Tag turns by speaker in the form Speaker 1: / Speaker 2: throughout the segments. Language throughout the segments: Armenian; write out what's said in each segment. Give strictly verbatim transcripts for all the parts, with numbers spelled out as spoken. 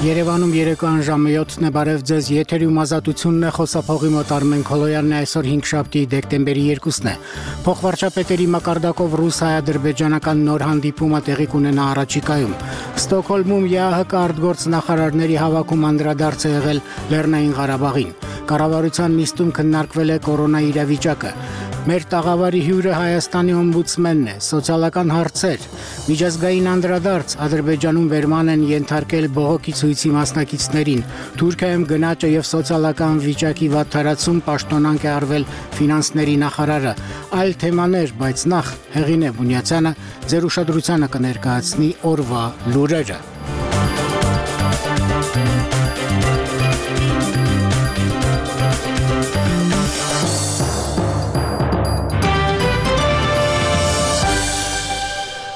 Speaker 1: Երևանում երեկոյան ժամը յոթն է, բարև ձեզ, եթերում ազատությունն է, խոսափողի մոտ Արմեն Քոլոյանն է, այսօր հինգշաբթի դեկտեմբերի երկուսն է։ Փոխվարչապետերի մակարդակով ռուս-հայ-ադրբեջանական նոր հանդիպումը տեղի կունենա առաջիկայում։ Ստոկհոլմում ԵԱՀԿ արտգործնախարարների հավաքում անդրադարձ է եղել Լեռնային Ղարաբաղին։ Կառավարության նիստում քննարկվել է կորոնա իրավիճակը։ Մեր տաղավարի հյուրը Հայաստանի օմբուդսմենն է, սոցիալական հարցեր, միջազգային անդրադարձ, Ադրբեջանում վերման են ենթարկել բողոքի ցույցի մասնակիցներին, Թուրքիայում գնաճը եւ սոցիալական վիճակի վատթարացում պաշտոնանկ է արվել ֆինանսների նախարարը, այլ թեմաներ, բայց նախ Հեղինե Բունյացյանը ձեր ուշադրությանը կներկայացնի օրվա լուրերը։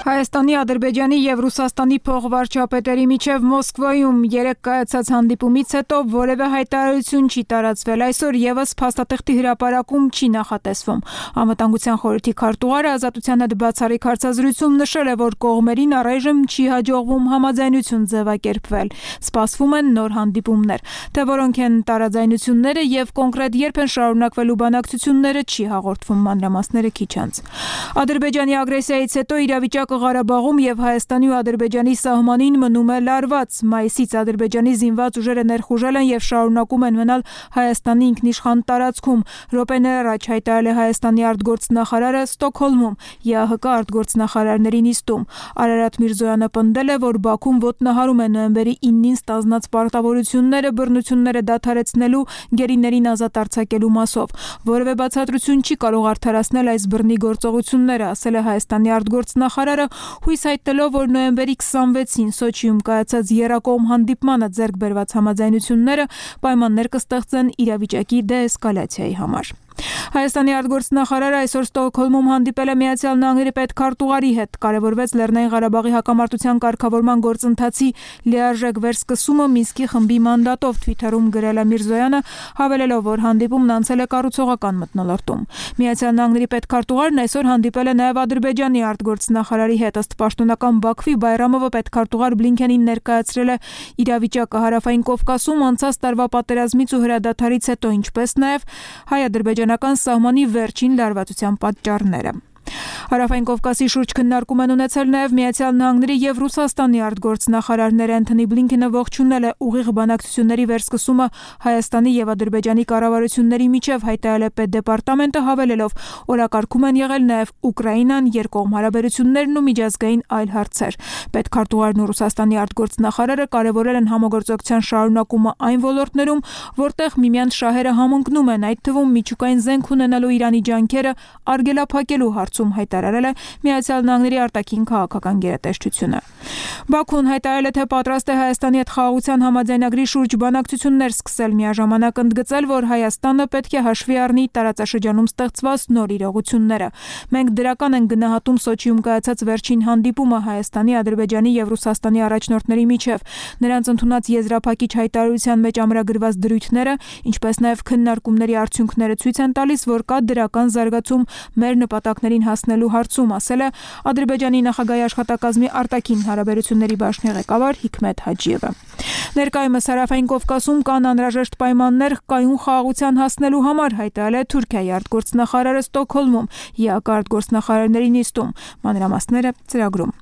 Speaker 2: Հայաստանի, Ադրբեջանի եւ Ռուսաստանի փոխվարչապետերի միջև Մոսկվայում երեկ կայացած հանդիպումից հետո որևէ հայտարարություն չի տարածվել։ Այսօր եւս փաստաթղթի հրապարակում չի նախատեսվում։ Անվտանգության խորհրդի քարտուղարը Ազատության հետ բացառիկ հարցազրույցում նշել է, որ կողմերին առայժմ չի հաջողվում համաձայնություն ձևակերպվել։ Սպասվում են նոր հանդիպումներ։ Թե որոնք են տարաձայնությունները եւ կոնկրետ երբ են շարունակվելու բանակցությունները չի հաղորդվում, մանրամասները քիչ անց։ Ադրբեջանի ագրեսիայից հետո իրավիճակը Ղարաբաղում եւ Հայաստանի ու Ադրբեջանի սահմանին մնում է լարված։ Մայիսից Ադրբեջանի զինված ուժերը ներխուժել են եւ շարունակում են մնալ Հայաստանի ինքնիշխան տարածքում։ Րոպեներ առաջ հայտարարել է Հայաստանի արտգործնախարարը Ստոկհոլմում ԵԱՀԿ արտգործնախարարների նիստում։ Արարատ Միրզոյանը պնդել է, որ Բաքուն ոտնահարում է նոյեմբերի իննին ստանձնած պարտավորությունները բռնությունները դադարեցնելու, գերիներին ազատ արձակելու մասով։ Որևէ բացատրություն չի կարող արդարացնել այս բռնի գործողությունները, ասել է Հայաստանի արտգործնախարարը, հույս հայտնելով, որ նոյեմբերի քսանվեցին Սոչիում կայացած եռակողմ հանդիպմանը ձեռք բերված համաձայնությունները պայմաններ կստեղծեն իրավիճակի դեէսկալացիայի համար։ Հայաստանի արտգործնախարարը այսօր Ստոկհոլմում հանդիպել է Միացյալ Նահանգների պետքարտուղարի հետ, կարևորվեց Լեռնային Ղարաբաղի հակամարտության կարգավորման գործընթացի լիարժեք վերսկսումը Մինսկի խմբի մանդատով, Թվիթերում գրել է Միրզոյանը, հավելելով, որ հանդիպումն անցել է կառուցողական մթնոլորտում։ Միացյալ Նահանգների պետքարտուղարն այսօր հանդիպել է նաև Ադրբեջանի արտգործնախարարի հետ, ըստ պաշտոնական Բաքվի Բայրամովը պետքարտուղար Բլինքենին ներկայացրել է իրավիճակը Հարավային Կովկասում անցած տարվա պատերազմից ու հրադադարից հետո, ինչպես նաև հայ-ադրբեջանական սահմանի վերջին լարվածության պատճառները։ Հարավային Կովկասի շուրջ քննարկում են ունեցել նաև Միացյալ Նահանգների եւ Ռուսաստանի արտգործնախարարները։ Անթոնի Բլինքենը ողջունել է ուղիղ բանակցությունների վերսկսումը Հայաստանի եւ Ադրբեջանի կառավարությունների միջև, հայտարարել է պետդեպարտամենտը, հավելելով, օրակարգում են եղել նաև Ուկրաինան, երկկողմ հարաբերություններն ու միջազգային այլ հարցեր։ Պետքարտուղարն ու Ռուսաստանի արտգործնախարարը կարևորել են համագործակցության շարունակումը այն ոլորտներում, որտեղ միմյանց շահերը համընկնում են, այդ թվում միջուկային զենք ունենալու Իրանի ջանքերը արգելափակելու հարցում, հայտարարել է Միացյալ Նահանգների արտաքին քաղաքական գերատեսչությունը։ Բաքուն հայտարարել է, թե պատրաստ է Հայաստանի հետ խաղաղության համաձայնագրի շուրջ բանակցություններ սկսել, միաժամանակ ընդգծել, որ Հայաստանը պետք է հաշվի առնի տարածաշրջանում ստեղծված նոր իրողությունները։ Մենք դրական ենք գնահատում Սոչիում կայացած վերջին հանդիպումը Հայաստանի, Ադրբեջանի եւ Ռուսաստանի առաջնորդների միջև։ Նրանց ընդունած եզրափակիչ հայտարարության մեջ ամրագրված դրույթները, ինչպես նաև քննարկումների արդյունքները ցույց են տալիս, որ կա դրական զարգացում մեր նպատակներին հասնելու հարցում, ասել է Ադրբեջանի նախագահի աշխատակազմի արտաքին հարաբերությունների բաժնի ղեկավար Հիկմետ Հաջիևը։ Ներկայումս Հարավային Կովկասում կան անհրաժեշտ պայմաններ կայուն խաղաղության հասնելու համար, հայտարարել է Թուրքիայի արտգործնախարարը Ստոկհոլմում ԵԱՀԿ արտգործնախարարների նիստում, մանրամասները ծրագրում։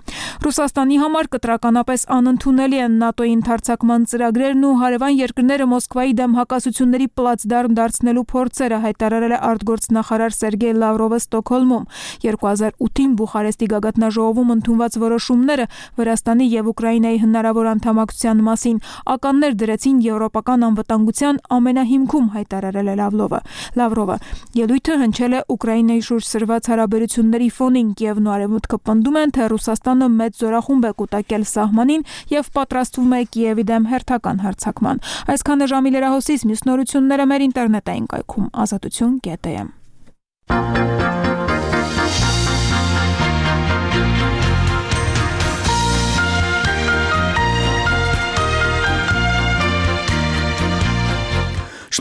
Speaker 2: Ռուսաստանի համար կտրականապես անընդունելի են ՆԱՏՕ-ի ընդարձակման ծրագրերն ու հարևան երկրները Մոսկվայի դեմ հակասությունների պլացդարմ դարձնելու փորձերը, հայտարարել է արտգործնախարար Սերգեյ Լավրովը Ստոկհոլմում։ երկու հազար ութին Բուխարեստի գագաթնաժողովում ընդունված որոշումները Վրաստանի եւ Ուկրաինայի հնարավոր անդամակցության մասին ականներ դրեցին եվրոպական անվտանգության ամենահիմքում, հայտարարել է Լավրովը։ Լավրովը ելույթը հնչել է Ուկրաինայի շուրջ սրված հարաբերությունների ֆոնին, Կիևն ու Արևմուտքը պնդում են, թե Ռուսաստանը մեծ զորախումբ է կուտակել սահմանին եւ պատրաստվում է Կիևի դեմ հերթական հարձակման։ Այսքանը ժամի լրահոսից, մյուս նորությունները մեր ինտերնետային կայքում ազատություն կետ է։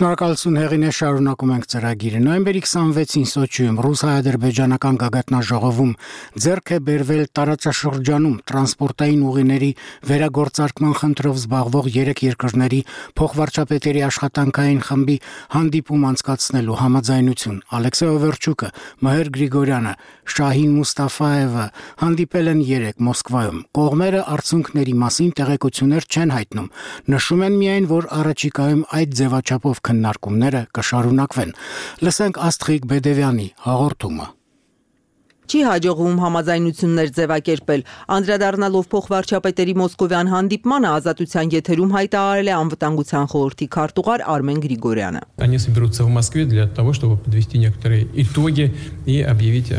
Speaker 1: Շնորհակալություն Հեղինե, շարունակում ենք ծրագիրը։ Նոյեմբերի քսանվեցին Սոչիում ռուս-հայ-ադրբեջանական գագաթնաժողովում ձեռք է բերվել տարածաշրջանում տրանսպորտային ուղիների վերագործարկման խնդրով զբաղվող երեք երկրների փոխվարչապետերի աշխատանքային խմբի հանդիպում անցկացնելու համաձայնություն։ Ալեքսեյ Օվերչուկը, Մհեր Գրիգորյանը, Շահին Մուստաֆաևը հանդիպել են երեկ Մոսկվայում։ Կողմերը արդյունքների մասին տեղեկություններ չեն հայտնում։ Նշում են միայն, որ առաջիկայում այդ ձևաչափով քննարկումները կշարունակվեն։ Լսենք Աստղիկ Բեդևյանի հաղորդումը։
Speaker 3: Չի հաջողվում համաձայնություններ ձևակերպել։ Անդրադառնալով փոխվարչապետերի մոսկովյան հանդիպմանը ազատության եթերում հայտարարել է անվտանգության խորհրդի քարտուղար Արմեն Գրիգորյանը։
Speaker 4: Они соберутся в Москве для того, чтобы подвести некоторые итоги и объявить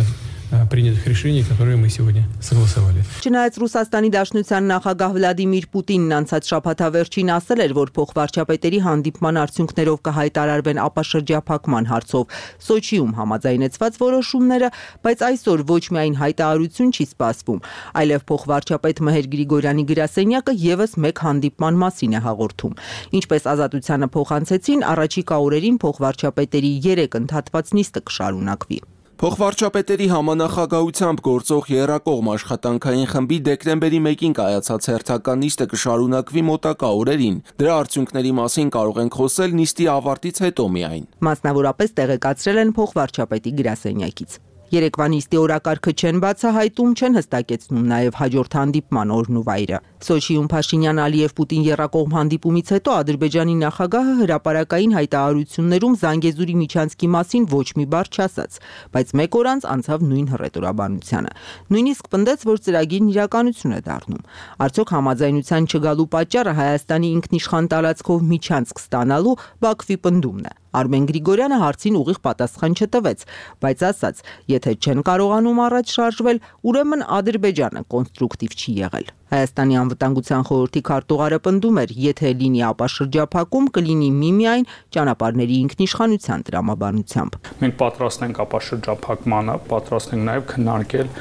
Speaker 4: принятых решений, которые мы сегодня согласовали.
Speaker 3: Չնայած Ռուսաստանի Դաշնության նախագահ Վլադիմիր Պուտինն անցած շաբաթավերջին ասել էր, որ փոխվարչապետերի հանդիպման արդյունքներով կհայտարարվեն ապաշրջափակման հարցով Սոչիում համաձայնեցված որոշումները, բայց այսօր ոչ միայն հայտարարություն չի սպասվում, այլև փոխվարչապետ Մհեր Գրիգորյանի գրասենյակը եւս մեկ հանդիպման մասին է հաղորդում։ Ինչպես ազատությանը փոխանցեցին, առաջիկա օրերին փոխվարչապետերի երեք ընդհատված նիստը կշարունակվի։
Speaker 5: Փոխվարչապետերի համանախագահությամբ գործող եռակողմ աշխատանքային խմբի դեկտեմբերի մեկին կայացած հերթական նիստը կշարունակվի մոտակա օրերին։ Դրա արդյունքների մասին կարող ենք խոսել նիստի ավարտից հետո միայն։
Speaker 3: Մասնավորապես տեղեկացրել են փոխվարչապետի գրասենյակից։ Երեկվա նիստի օրակարգը չեն բացահայտում, չեն հստակեցնում նաև հաջորդ հանդիպման օրն ու վայրը։ Սոչիում Փաշինյան-Ալիև-Պուտին եռակողմ հանդիպումից հետո Ադրբեջանի նախագահը հրապարակային հայտարարություններում Զանգեզուրի միջանցքի մասին ոչ մի բառ չասաց, բայց մեկ օր անց անցավ նույն հռետորաբանությանը։ Նույնիսկ պնդեց, որ ծրագիրն իրականություն է դառնում։ Արդյոք համաձայնության չգալու պատճառը Հայաստանի ինքնիշխան տարածքով միջանցք ստանալու Բաքվի պնդումն է։ Արմեն Գրիգորյանը հարցին ուղիղ պատասխան չտվեց, բայց ասաց, եթե չեն կարողանում առաջ շարժվել, ուրեմն Ադրբեջանը կոնստրուկտիվ չի եղել։ Հայաստանի անվտանգության խորհրդի քարտուղարը պնդում էր, եթե լինի ապաշրջափակում, կլինի միմիայն ճանապարհների ինքնիշխանության տրամաբանությամբ։
Speaker 6: Մենք պատրաստ ենք ապաշրջափակմանը, պատրաստ ենք նաև քննարկել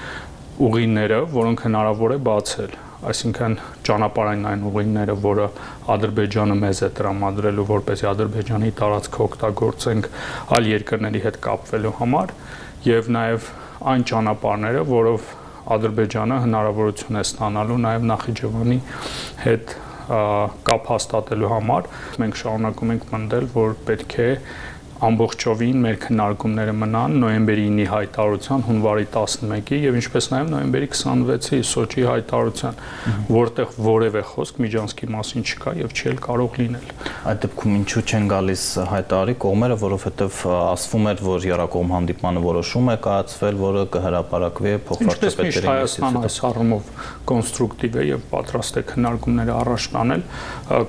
Speaker 6: ուղիները, որոնք հնարավոր է բացել։ Այսինքն ճանապարհային այն ուղիները, որը Ադրբեջանը մեզ է տրամադրելու, որպեսզի Ադրբեջանի տարածքը օգտագործենք այլ երկրների հետ կապվելու համար, եւ նաեւ այն ճանապարհները, որով Ադրբեջանը հնարավորություն է ստանալու նաեւ Նախիջևանի հետ կապ հաստատելու համար։ Մենք շարունակում ենք պնդել, որ պետք է ամբողջովին մեր քննարկումները մնան նոյեմբերի ինի հայտարարության, հունվարի տասնմեկի եւ ինչպես նաեւ նոյեմբերի քսանվեցի Սոչիի հայտարարության, որտեղ որևէ խոսք միջանցքի մասին չկա եւ չի էլ կարող լինել։
Speaker 7: Այդ դեպքում ինչու չեն գալիս հայտարարի կողմերը, որովհետեւ ասվում էր, որ եռակողմ հանդիպմանը որոշում է կայացվել, որը կհրապարակվի փոխվարչապետերի
Speaker 6: Հայաստանը այս առումով կոնստրուկտիվ է եւ պատրաստ է քննարկումները առաջ տանել։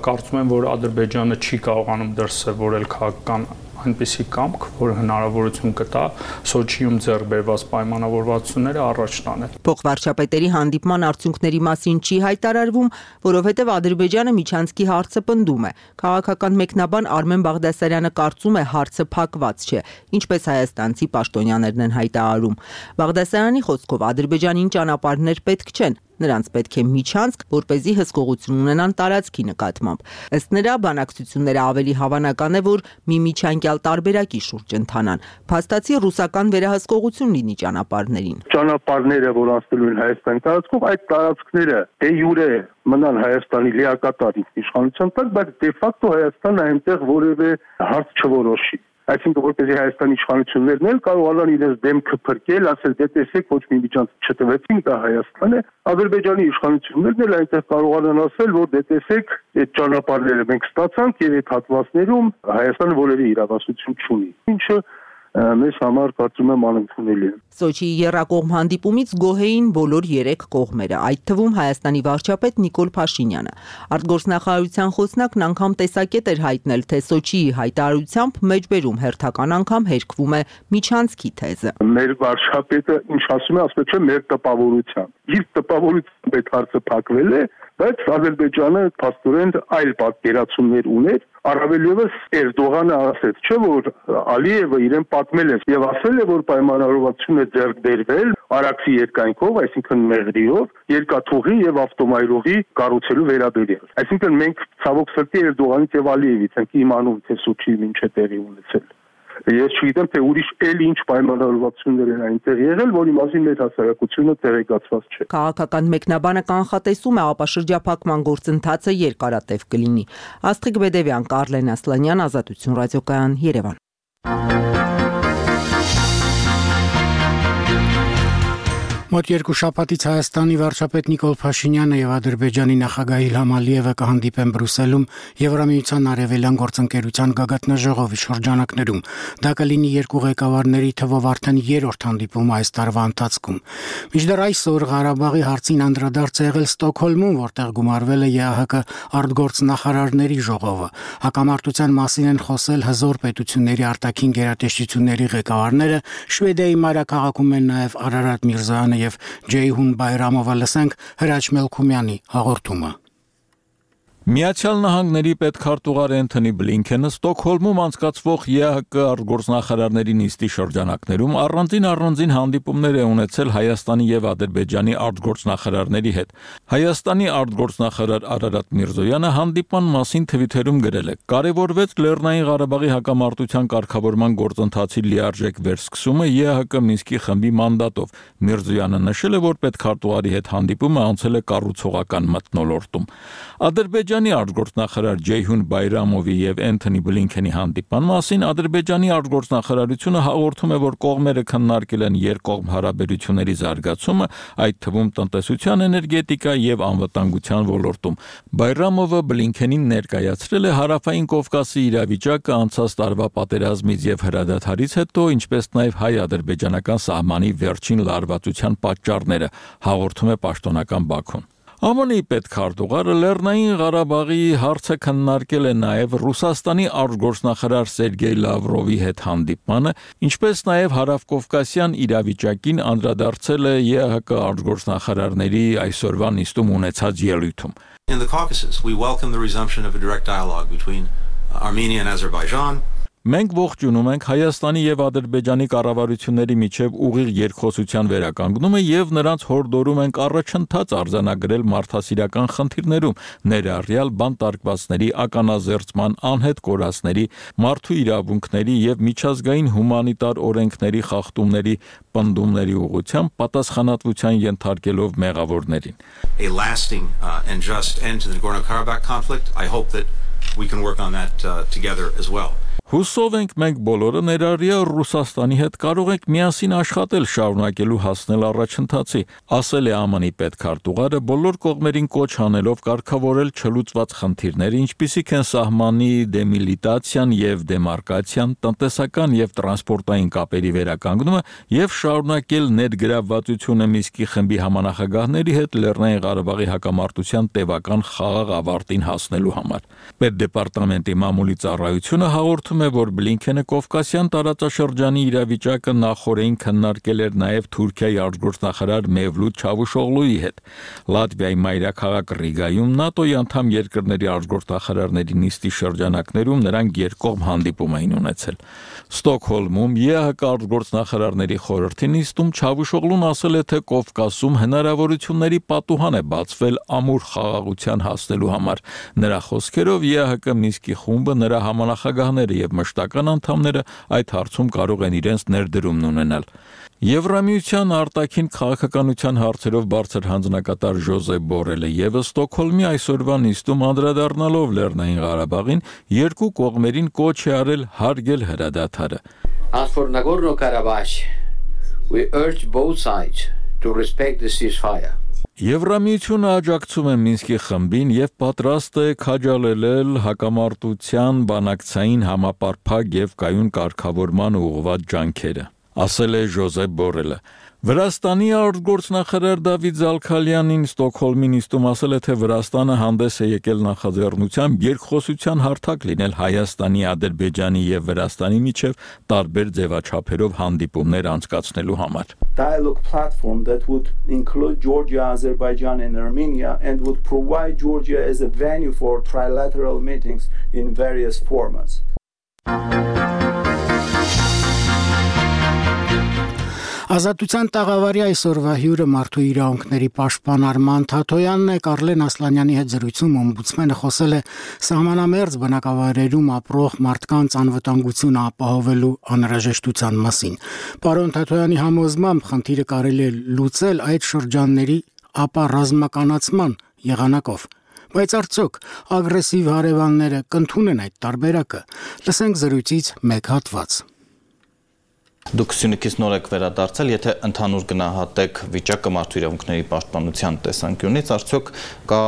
Speaker 6: Կարծում եմ, որ Ադրբեջանը չի կարողանում դրսևորել քաղաքական այնպիսի կամք, որ հնարավորություն կտա Սոչիում ձեռք բերված պայմանավորվածությունները առաջ տանել։
Speaker 3: Փոխվարչապետերի հանդիպման արդյունքների մասին չի հայտարարվում, որովհետև Ադրբեջանը միջանցքի հարցը պնդում է։ Քաղաքական մեկնաբան Արմեն Բաղդասարյանը կարծում է հարցը փակված չէ, ինչպես հայաստանցի պաշտոնյաներն են հայտարարում։ Բաղդասարյանի խոսքով Ադրբեջանին ճանապարհներ պետք չեն։ Նրանց պետք է միջանցք, որպեսզի հսկողություն ունենան տարածքի նկատմամբ։ Ըստ նրա, բանակցությունները ավելի հավանական է, որ մի միջանկյալ տարբերակի շուրջ ընթանան։ Փաստացի ռուսական վերահսկողություն լինի ճանապարհներին։
Speaker 8: Ճանապարհները, որ անցնելու են Հայաստանի տարածքով, այդ տարածքները դե յուրե մնան Հայաստանի լիակատար ինքնիշխանության տակ, բայց դե ֆակտո Հայաստանը այնտեղ որևէ հարց չորոշի։ Այսինքն, որպեսզի Հայաստանի իշխանություններն էլ կարողանան իրենց դեմքը փրկել, ասել, դե տեսեք, ոչ մի միջանցք չտվեցին, դա Հայաստան է։ Ադրբեջանի իշխանություններն էլ այնտեղ կարողանան ասել, որ դե տեսեք, այդ ճանապարհները մենք ստացանք եւ այդ հատվածներում Հայաստանը որևէ իրավասություն չունի։ Ինչը մեզ համար կարծում եմ անընդունելի է։
Speaker 3: Սոչիի եռակողմ հանդիպումից գոհ էին բոլոր երեք կողմերը, այդ թվում Հայաստանի վարչապետ Նիկոլ Փաշինյանը։ Արտգործնախարարության խոսնակն անգամ տեսակետ էր հայտնել, թե Սոչիի հայտարարությամբ մեջբերում հերթական անգամ հերկվում է միջանցքի թեզը։
Speaker 8: Մեր վարչապետը ինչ ասում է, ասում է, չէ, մեր տպավորությամբ։ Իր տպավորությամբ այդ հարցը փակվել է, բայց Ադրբեջանը փաստորեն այլ պատկերացումներ ուներ, առավել ևս Էրդողանը ասեց, չէ՞ որ Ալիևը իրեն պատմել է եւ ասել է, որ պայմանավորվածություն է ձեռք բերվել Արաքսի երկայնքով, այսինքն մեղրիով, երկաթուղի եւ ավտոմայրուղի կառուցելու վերաբերյալ։ Այսինքն մենք ցավոք սրտի Էրդողանից եւ Ալիևից ենք իմանում, թե Սոչիի ինչ է տեղի ունեցել։ Ես չգիտեմ, թե ուրիշ էլ ինչ պայմանավորվածություններ են այնտեղ եղել, որի մասին մեր հասարակությունը տեղեկացված չէ։
Speaker 3: Քաղաքական մեկնաբանը կանխատեսում է ապա շրջափակման գործընթացը երկարատև կլինի։ Աստղիկ Բեդևյան, Կարլեն Ասլանյան, Ազատություն ռադիոկայան, Երևան։
Speaker 1: Մոտ երկու շաբաթից Հայաստանի վարչապետ Նիկոլ Փաշինյանը եւ Ադրբեջանի նախագահ Իլհամ Ալիևը կհանդիպեն Բրյուսելում Եվրամիության արևելյան գործընկերության գագաթնաժողովի շրջանակներում։ Դա կլինի երկու ղեկավարների թվով արդեն երրորդ հանդիպումը այս տարվա ընթացքում։ Մինչդեռ այսօր Ղարաբաղի հարցին անդրադարձ է եղել Ստոկհոլմում, որտեղ գումարվել է ԵԱՀԿ արտգործնախարարների ժողովը։ Հակամարտության մասին են խոսել հզոր պետությունների արտաքին գերատեսչությունների ղեկավարները, Շվեդիայի մայրաքաղաքում են նաեւ Արարատ Միրզոյանը եւ Ջեյհուն Բայրամովը, լսենք Հրաչ Մելքումյանի հաղորդումը։
Speaker 9: Միացյալ Նահանգների պետքարտուղար Էնթոնի Բլինքենը Ստոկհոլմում անցկացվող ԵԱՀԿ արտգործնախարարների նիստի շրջանակներում առանձին առանձին հանդիպումներ է ունեցել Հայաստանի եւ Ադրբեջանի արտգործնախարարների հետ։ Հայաստանի արտգործնախարար Արարատ Միրզոյանը հանդիպման մասին թվիթերում գրել է. «Կարևորվեց Լեռնային Ղարաբաղի հակամարտության կարգավորման գործընթացի լիարժեք վերսկսումը ԵԱՀԿ Մինսկի խմբի մանդատով»։ Միրզոյանը նշել է, որ պետքարտուղարի հետ հանդիպումը անցել է կառուցողական մթնոլորտում։ Ադրբեջանի արտգործնախարար Ջեյհուն Բայրամովի եւ Էնթոնի Բլինքենի հանդիպման մասին Ադրբեջանի արտգործնախարարությունը հաղորդում է, որ կողմերը քննարկել են երկկողմ հարաբերությունների զարգացումը, այդ թվում տնտեսության, էներգետիկա եւ անվտանգության ոլորտում։ Բայրամովը Բլինքենին ներկայացրել է Հարավային Կովկասի իրավիճակը անցած տարվա պատերազմից եւ հրադադարից հետո, ինչպես նաեւ հայ-ադրբեջանական սահմանի վերջին լարվածության պատճառները, հաղորդում է պաշտոնական Բաքուն։ ԱՄՆ-ի պետքարտուղարը Լեռնային Ղարաբաղի հարցը քննարկել է նաև Ռուսաստանի արտգործնախարար Սերգեյ Լավրովի հետ հանդիպմանը, ինչպես նաև հարավկովկասյան իրավիճակին անդրադարձել է ԵԱՀԿ արտգործնախարարների այսօրվա նիստում ունեցած ելույթում։
Speaker 10: In the Caucasus, we welcome the resumption of a direct dialogue between Armenia and Azerbaijan.
Speaker 9: Մենք ողջունում ենք Հայաստանի եւ Ադրբեջանի կառավարությունների միջև ուղիղ երկխոսության վերականգնումը եւ նրանց հորդորում ենք առաջընթաց արձանագրել մարդասիրական խնդիրներում, ներառյալ բանտարկվածների ականազերծման, անհետ կորածների, մարդու իրավունքների եւ միջազգային հումանիտար օրենքների խախտումների պնդումների ուղղությամբ պատասխանատվության ենթարկելով մեղավորներին։
Speaker 10: A lasting uh, and just end to the Nagorno-Karabakh conflict. I hope that we can work on that uh, together as well.
Speaker 9: Հուսով ենք մենք բոլորը ներառյալ Ռուսաստանի հետ կարող ենք միասին աշխատել շարունակելու հասնել առաջընթացի, ասել է ԱՄՆ-ի պետքարտուղարը, բոլոր կողմերին կոչ անելով կարգավորել չլուծված խնդիրները, ինչպիսիք են սահմանի դեմիլիտացիան եւ դեմարկացիան, տնտեսական եւ տրանսպորտային կապերի վերականգնումը եւ շարունակել ներգրավվածությունը Մինսկի խմբի համանախագահների հետ Լեռնային Ղարաբաղի հակամարտության տևական խաղաղ ավարտին հասնելու համար։ Պետդեպարտամենտի մամուլի ծառայությունը հաղորդում է, որ Բլինքենը Կովկասյան տարածաշրջանի իրավիճակը նախորդին քննարկել էր նաև Թուրքիայի արտգործնախարար Մևլութ Չավուշօղլուի հետ։ Լատվիայի մայրաքաղաք Ռիգայում ՆԱՏՕ-ի անդամ երկրների արտգործնախարարների նիստի շրջանակներում նրանք երկկողմ հանդիպում էին ունեցել։ Ստոկհոլմում ԵԱՀԿ արտգործնախարարների խորհրդի նիստում Չավուշօղլուն ասել է, թե Կովկասում հնարավորությունների պատուհան է բացվել ամուր խաղաղության հասնելու համար։ Նրա խոսքերով ԵԱՀԿ Մինսկի խումբը, նրա համանախագահները եւ մշտական անդամները այդ հարցում կարող են իրենց ներդրումն ունենալ։ Եվրամիության արտաքին քաղաքականության հարցերով բարձր հանձնակատար Ժոզեփ Բորելը եւ Ստոկհոլմի այսօրվա նիստում անդրադառնալով Լեռնային Ղարաբաղին երկու կողմերին կոչ է արել հարգել հրադադարը։
Speaker 11: As for Nagorno-Karabakh, we urge both sides to respect the ceasefire.
Speaker 9: Եվրամիությունը աջակցում է Մինսկի խմբին եւ պատրաստ է քաջալերել հակամարտության բանակցային համապարփակ եւ կայուն կարգավորման ուղղված ջանքերը, ասել է Ժոզեփ Բորելը։ Վրաստանի արտգործնախարար Դավիթ Զալքալյանին Ստոկհոլմի նիստում ասել է, թե Վրաստանը հանդես է եկել նախաձեռնությամբ երկխոսության հարթակ լինել Հայաստանի, Ադրբեջանի եւ Վրաստանի միջև տարբեր ձևաչափերով հանդիպումներ անցկացնելու համար։
Speaker 12: Dialogue platform that would include Georgia, Azerbaijan and Armenia and would provide Georgia as a venue for trilateral meetings in various formats.
Speaker 1: Ազատության տաղավարի այսօրվա հյուրը մարդու իրավունքների պաշտպան Արման Թաթոյանն է։ Կարլեն Ասլանյանի հետ զրույցում օմբուդսմենը խոսել է սահմանամերձ բնակավայրերում ապրող մարդկանց անվտանգությունը ապահովելու անհրաժեշտության մասին։ Պարոն Թաթոյանի համոզմամբ խնդիրը կարելի է լուծել այդ շրջանների ապառազմականացման եղանակով։ Բայց արդյոք ագրեսիվ հարևանները կընդունեն այդ տարբերակը։ Լսենք զրույցից մեկ հատված։
Speaker 7: Դուք Սյունիքից նոր եք վերադարձել, եթե ընդհանուր գնահատեք վիճակը մարդու իրավունքների պաշտպանության տեսանկյունից, արդյոք կա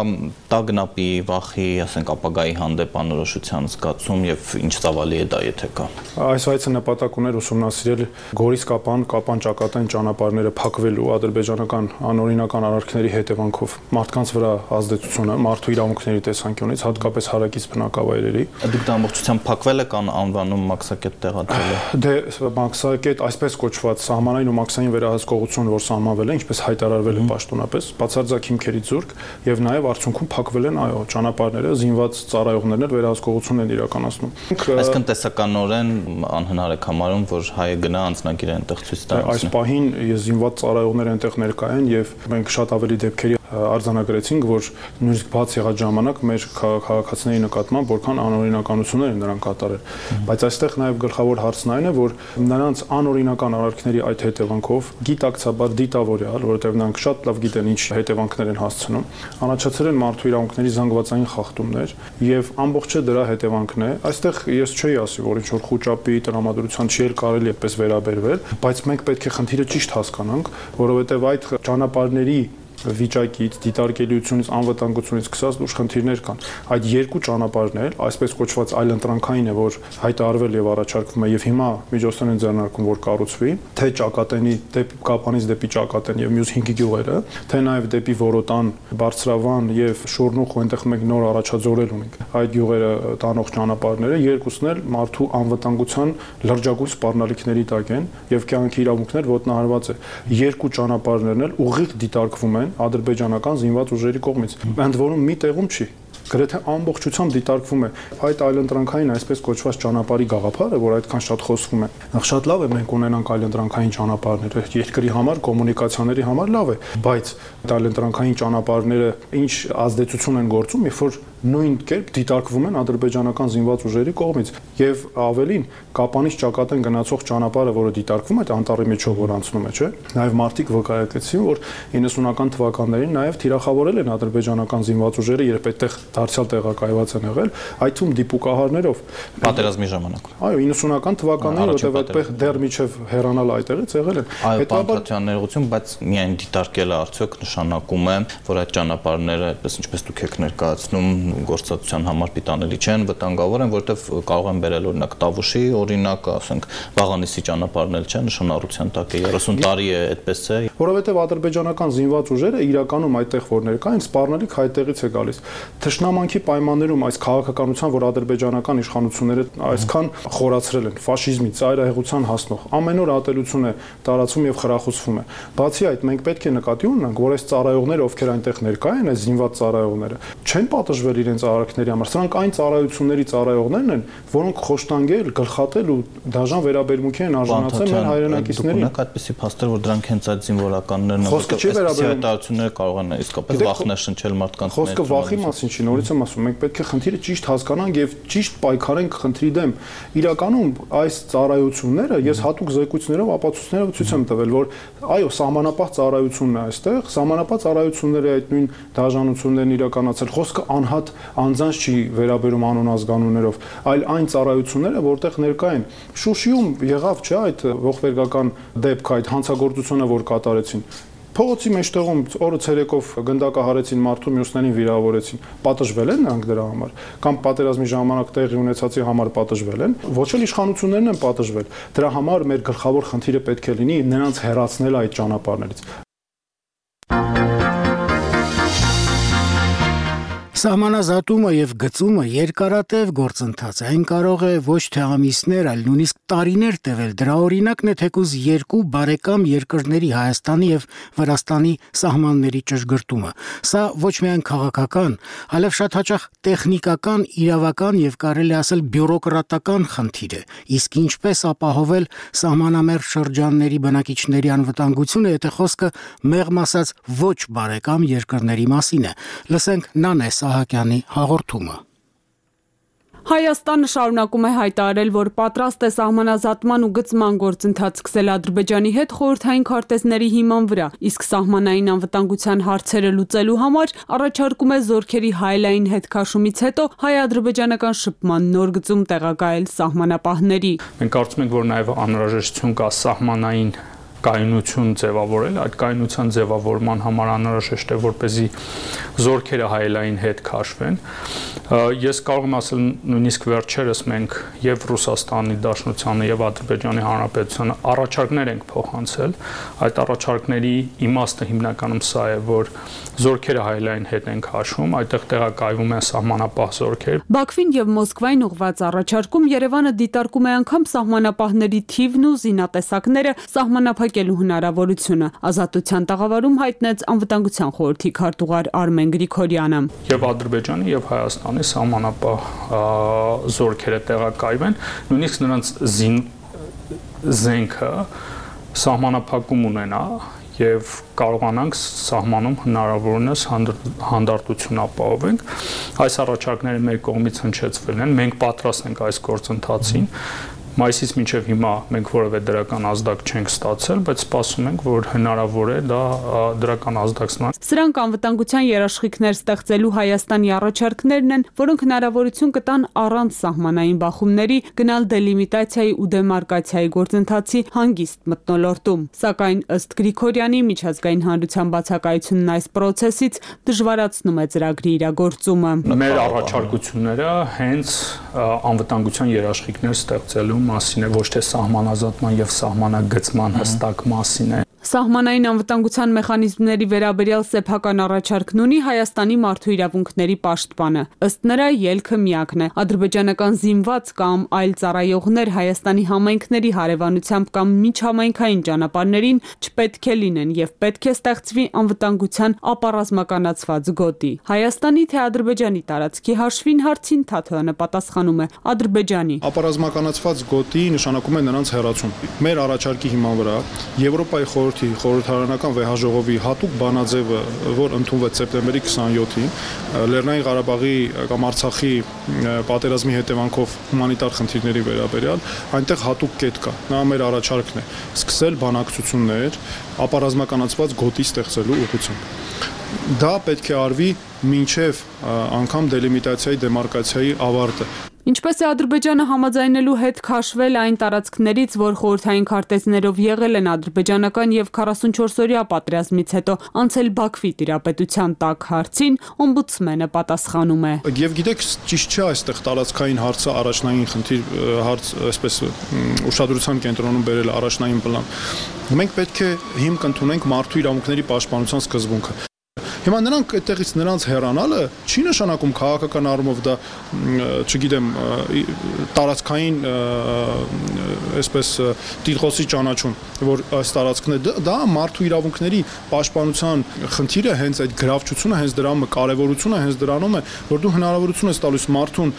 Speaker 7: տագնապի, վախի, ասենք ապագայի հանդեպ անորոշության զգացում եւ ինչ ծավալի է դա, եթե կա։
Speaker 13: Այս այցը նպատակ ուներ ուսումնասիրել Գորիս Կապան, Կապան ճակատային ճանապարհները փակվելու ադրբեջանական անօրինական արարքների հետևանքով մարդկանց վրա ազդեցությունը մարդու իրավունքների տեսանկյունից, հատկապես հարակից բնակավայրերի։
Speaker 7: Դուք դա ամբողջությամբ փակվել եք անվանում մաքսակետ տեղադրել եք։
Speaker 13: Դե մաքսակետ այսպես կոչված սահմանային ու մաքսային վերահսկողություն, որ սահմանվել է, ինչպես հայտարարվել է պաշտոնապես, բացարձակ հիմքերի զուրկ եւ նաեւ արդյունքում փակվել են այո ճանապարհները, զինված ծառայողներն էլ վերահսկողություն են իրականացնում։
Speaker 7: Այսինքն տեսականորեն անհնար է համարում, որ հայը գնա անձնագիր այնտեղ ցույց տա։
Speaker 13: Այս պահին զինված ծառայողներ այնտեղ ներկա են եւ մենք շատ ավելի դեպքերի արձանագրեցինք, որ նույնիսկ բաց եղած ժամանակ մեր քաղաքացիների նկատմամբ որքան անօրինականություններ են նրանք կատարել։ Բայց այստեղ նաեւ գլխավոր հարցն այն է, որ նրանց անօրինական արարքների այդ հետևանքով գիտակցաբար դիտավորյալ, որովհետեւ նրանք շատ լավ գիտեն ինչ հետևանքներ են հասցնում, առաջացել են մարդու իրավունքների զանգվածային խախտումներ եւ ամբողջը դրա հետևանքն է։ Այստեղ ես չէի ասի, որ ինչ որ խոճապի տրամադրության չի էլ կարելի էպես վերաբերվել, բայց մենք պետք է խնդիրը ճիշտ հասկանանք, որովհետեւ այդ ճանապարհների վիճակից, դիտարկելիությունից, անվտանգությունից սկսած լուրջ խնդիրներ կան։ Այդ երկու ճանապարհն էլ, այսպես կոչված այլընտրանքային է, որ հայտարարվել եւ առաջարկվում է եւ հիմա միջոցներ են ձեռնարկվում, որ կառուցվի, թե Ճակատենի դեպի Կապանից դեպի Ճակատեն եւ մյուս հինգ գյուղերը, թե նաեւ դեպի Որոտան, Բարձրավան եւ Շորնուխ, այնտեղ մենք նոր առաջաձորել ունենք։ Այդ գյուղերը տանող ճանապարհները երկուսն էլ մարդու անվտանգության լրջագույն սպառնալիքների տակ են եւ կյանքի իրավունքներ ոտնահարված է։ Երկու ճանապարհներն էլ ուղիղ դիտարկվում են ադրբեջանական զինված ուժերի կողմից։ Ընդ որում մի տեղում չի, գրեթե ամբողջությամբ դիտարկվում է այդ այլընտրանքային այսպես կոչված ճանապարհի գաղափարը, որ այդքան շատ խոսվում է։ Նախ շատ լավ է մենք ունենանք այլընտրանքային ճանապարհներ, երկրի համար, կոմունիկացիաների համար լավ է, բայց այլընտրանքային ճանապարհները ինչ ազդեցություն են գործում, երբ որ նույն կերպ դիտարկվում են ադրբեջանական զինված ուժերի կողմից եւ ավելին Կապանից Ճակատեն գնացող ճանապարհը, որը դիտարկվում է անտառի միջով որ անցնում է, չէ՞։ Նաեւ մարդիկ վկայակեցին, որ իննսունական թվականներին նաեւ թիրախավորել են ադրբեջանական զինված ուժերը, երբ այդտեղ դարձյալ տեղակայված են եղել, այդ թվում դիպուկահարներով
Speaker 7: պատերազմի ժամանակ։
Speaker 13: Այո, իննսունական թվականներին, որտեղ այդտեղ դեռ միջև հեռանալ այդտեղից եղել են։
Speaker 7: Հետաբար ներողություն, բայց միայն դիտարկելը արդյոք նշանակում է, որ այդ ճանապարհները, այդպես ինչպես դուք եք ներկայացնում, գործածության համար պիտանելի չեն, վտանգավոր են, որովհետև կարող են բերել օրինակ Տավուշի, օրինակ, ասենք, Վաղանիսի ճանապարհն էլ չէ, նշանառության տակ է, երեսուն տարի է այդպես է։
Speaker 13: Որովհետև ադրբեջանական զինված ուժերը իրականում այդտեղ որ ներկա են, սպառնալիք հայտեղից է գալիս։ Թշնամանքի պայմաններում այս քաղաքականության, որ ադրբեջանական իշխանությունները այսքան խորացրել են, ֆաշիզմի, ծայրահեղության հասնող, ամեն օր ատելություն է տարածվում եւ խրախուսվում է։ Բացի այդ, մենք պետք է նկատի ունենանք, որ այս ծառայողները, ովքեր այնտեղ ներկա են, այս զինված ծառայողները, չեն պատժվել իրենց արարքների համար։ Սրանք այն ծառայությունների ծառայողներն են, որոնք խոշտանգել, գլխատել ու դաժան վերաբերմունքի են արժանացել մեր հայրենակիցներին։
Speaker 7: Դուք ունեք այդպիսի փաստեր, որ դրանք հենց այդ զինվորականներն են, հայտարարությունները կարող են իսկապես վախներ շնչել մարդկանց։
Speaker 13: Խոսքը վախի մասին չի, նորից եմ ասում, մենք պետք է խնդիրը ճիշտ հասկանանք եւ ճիշտ պայքարենք խնդրի դեմ։ Իրականում այս ծառայությունները ես հատուկ զեկույցներով ապացույցներով ցույց եմ տվել, որ այո, սահմանապահ ծառայությունն է այստեղ, սահմանապահ ծառայությունները այդ նույն դաժանություններն իրականացել, խոսքը անհատ անձանց չի վերաբերում անոնազգանուններով, այլ այն ծառայությունները, որտեղ ներկա են։ Շուշիում եղավ, չէ՞, այդ ողբերգական դեպքը, այդ հանցագործությունը, որ կատարեցին։ Փողոցի մեջտեղում օրը ցերեկով գնդակահարեցին մարդու, մյուսներին վիրավորեցին։ Պատժվել են նրանք դրա համար, կամ պատերազմի ժամանակ տեղի ունեցածի համար պատժվել են, ոչ էլ իշխանություններն են պատժվել։ Դրա համար մեր գլխավոր խնդիրը պետք է լինի նրանց հեռացնել այդ ճանապարհներից։
Speaker 1: Սահմանազատումը եւ գծումը երկարատև գործընթաց է, այն կարող է ոչ թե ամիսներ, այլ նույնիսկ տարիներ տևել։ Դրա օրինակն է թեկուզ երկու բարեկամ երկրների Հայաստանի եւ Վրաստանի սահմանների ճշգրտումը։ Սա ոչ միայն քաղաքական, այլև շատ հաճախ տեխնիկական, իրավական եւ կարելի ասել բյուրոկրատական խնդիր է։ Իսկ ինչպես ապահովել սահմանամերձ շրջանների բնակիչների անվտանգությունը, եթե խոսքը մեղմ ասած ոչ բարեկամ երկրների մասին է։ Լսենք Նանե Սահակյանի հաղորդումը։
Speaker 14: Հայաստանը շարունակում է հայտարարել, որ պատրաստ է սահմանազատման ու գծման գործընթաց սկսել Ադրբեջանի հետ խորհրդային քարտեզների հիման վրա, իսկ սահմանային անվտանգության հարցերը լուծելու համար առաջարկում է զորքերի հայելային հետքաշումից հետո հայ-ադրբեջանական շփման նոր գծում տեղակայել սահմանապահների։
Speaker 6: Մենք կարծում ենք, որ նաև անհրաժեշտություն կա սահմանային կայունություն ձևավորել, այդ կայունության ձևավորման համար անհրաժեշտ է, որպեսզի զորքերը հայելային հետ քաշվեն։ Ես կարող եմ ասել, նույնիսկ վերջերս մենք եւ Ռուսաստանի Դաշնությանը եւ Ադրբեջանի Հանրապետությանը առաջարկներ ենք փոխանցել։ Այդ առաջարկների իմաստը հիմնականում սա է, որ զորքերը հայելային հետ են քաշվում, այդտեղ տեղակայվում են սահմանապահ զորքեր։
Speaker 14: Բաքվին եւ Մոսկվային ուղղված առաջարկում Երևանը դիտարկում է անգամ սահմանապահների թիվն ու զինատեսակները սահմանափակելու հնարավորությունը։ Ազատության տաղավարում հայտնեց անվտանգության խորհրդի քարտուղար Արմեն Գրիգորյանը։
Speaker 6: Եվ Ադրբեջանի եւ Հայաստանի սահմանապահ զորքերը տեղակայվեն, նույնիսկ նրանց զին զենքը սահմանափակում ունենա եւ կարողանանք սահմանում հնարավորինս հանդարտություն ապահովենք։ Այս առաջարկները մեր կողմից հնչեցվել են, մենք պատրաստ ենք այս գործընթացին։ Մայիսից մինչև հիմա մենք որևէ դրական ազդակ չենք ստացել, բայց սպասում ենք, որ հնարավոր է դա դրական ազդակցնան։
Speaker 14: Սրանք անվտանգության երաշխիքներ ստեղծելու Հայաստանի առաջարկներն են, որոնք հնարավորություն կտան առանց սահմանային բախումների գնալ դելիմիտացիայի ու դեմարկացիայի գործընթացի հանգիստ մթնոլորտում։ Սակայն ըստ Գրիգորյանի միջազգային հանրության բացակայությունն այս process-ից դժվարացնում է ծրագրի իրագործումը։
Speaker 6: Մեր առաջարկությունները հենց անվտանգության երաշխիքներ ստեղծելու մասին է, ոչ թե սահմանազատման եւ սահմանագծման հստակ մասին է։
Speaker 14: Սահմանային անվտանգության մեխանիզմների վերաբերյալ սեփական առաջարկն ունի Հայաստանի մարդու իրավունքների պաշտպանը։ Ըստ նրա ելքը միակն է։ Ադրբեջանական զինված կամ այլ ծառայողներ Հայաստանի համայնքների հարևանությամբ կամ միջհամայնքային ճանապարհներին չպետք է լինեն եւ պետք է ստեղծվի անվտանգության ապառազմականացված գոտի։ Հայաստանի թե Ադրբեջանի տարածքի հաշվին հարցին Թաթոյանը պատասխանում է Ադրբեջանի։
Speaker 13: Ապառազմականացված գոտի նշանակում է նրանց հեռացում։ Մեր առաջարկի հիման վրա Եվրոպայի խորհրդի խորհրդարանական վեհաժողովի հատուկ բանաձևը, որ ընդունվեց սեպտեմբերի քսաներկուին, Լեռնային Ղարաբաղի կամ Արցախի պատերազմի հետևանքով հումանիտար խնդիրների վերաբերյալ, այնտեղ հատուկ կետ կա։ Նա մեր առաջարկն է սկսել բանակցություններ ապառազմականացված գոտի ստեղծելու ուղղությամբ։ Դա պետք է արվի մինչև անգամ դելիմիտացիայի դեմարկացիայի ավարտը։
Speaker 14: Ինչպես է Ադրբեջանը համաձայնելու հետ քաշվել այն տարածքներից, որ խորհրդային քարտեզներով եղել են ադրբեջանական եւ քառասունչորս-օրյա պատերազմից հետո անցել Բաքվի տիրապետության տակ հարցին, օմբուդսմենը պատասխանում է։
Speaker 13: Եվ գիտեք, ճիշտ չէ այստեղ տարածքային հարցը առաջնային խնդիր հարց, այսպես ուշադրության կենտրոնում բերել առաջնային պլան։ Մենք պետք է հիմք ընդունենք մարդու իրավունքների պաշտպանության սկզբունքը։ Հիմա նրանք այդտեղից նրանց հեռանալը չի նշանակում քաղաքական առումով դա, չգիտեմ, տարածքային այսպես տիտղոսի ճանաչում, որ այս տարածքն է, դա մարդու իրավունքների պաշտպանության խնդիրը, հենց այդ գրավչությունը, հենց դրա կարևորությունը հենց դրանում է, որ դու հնարավորություն ես տալիս մարդուն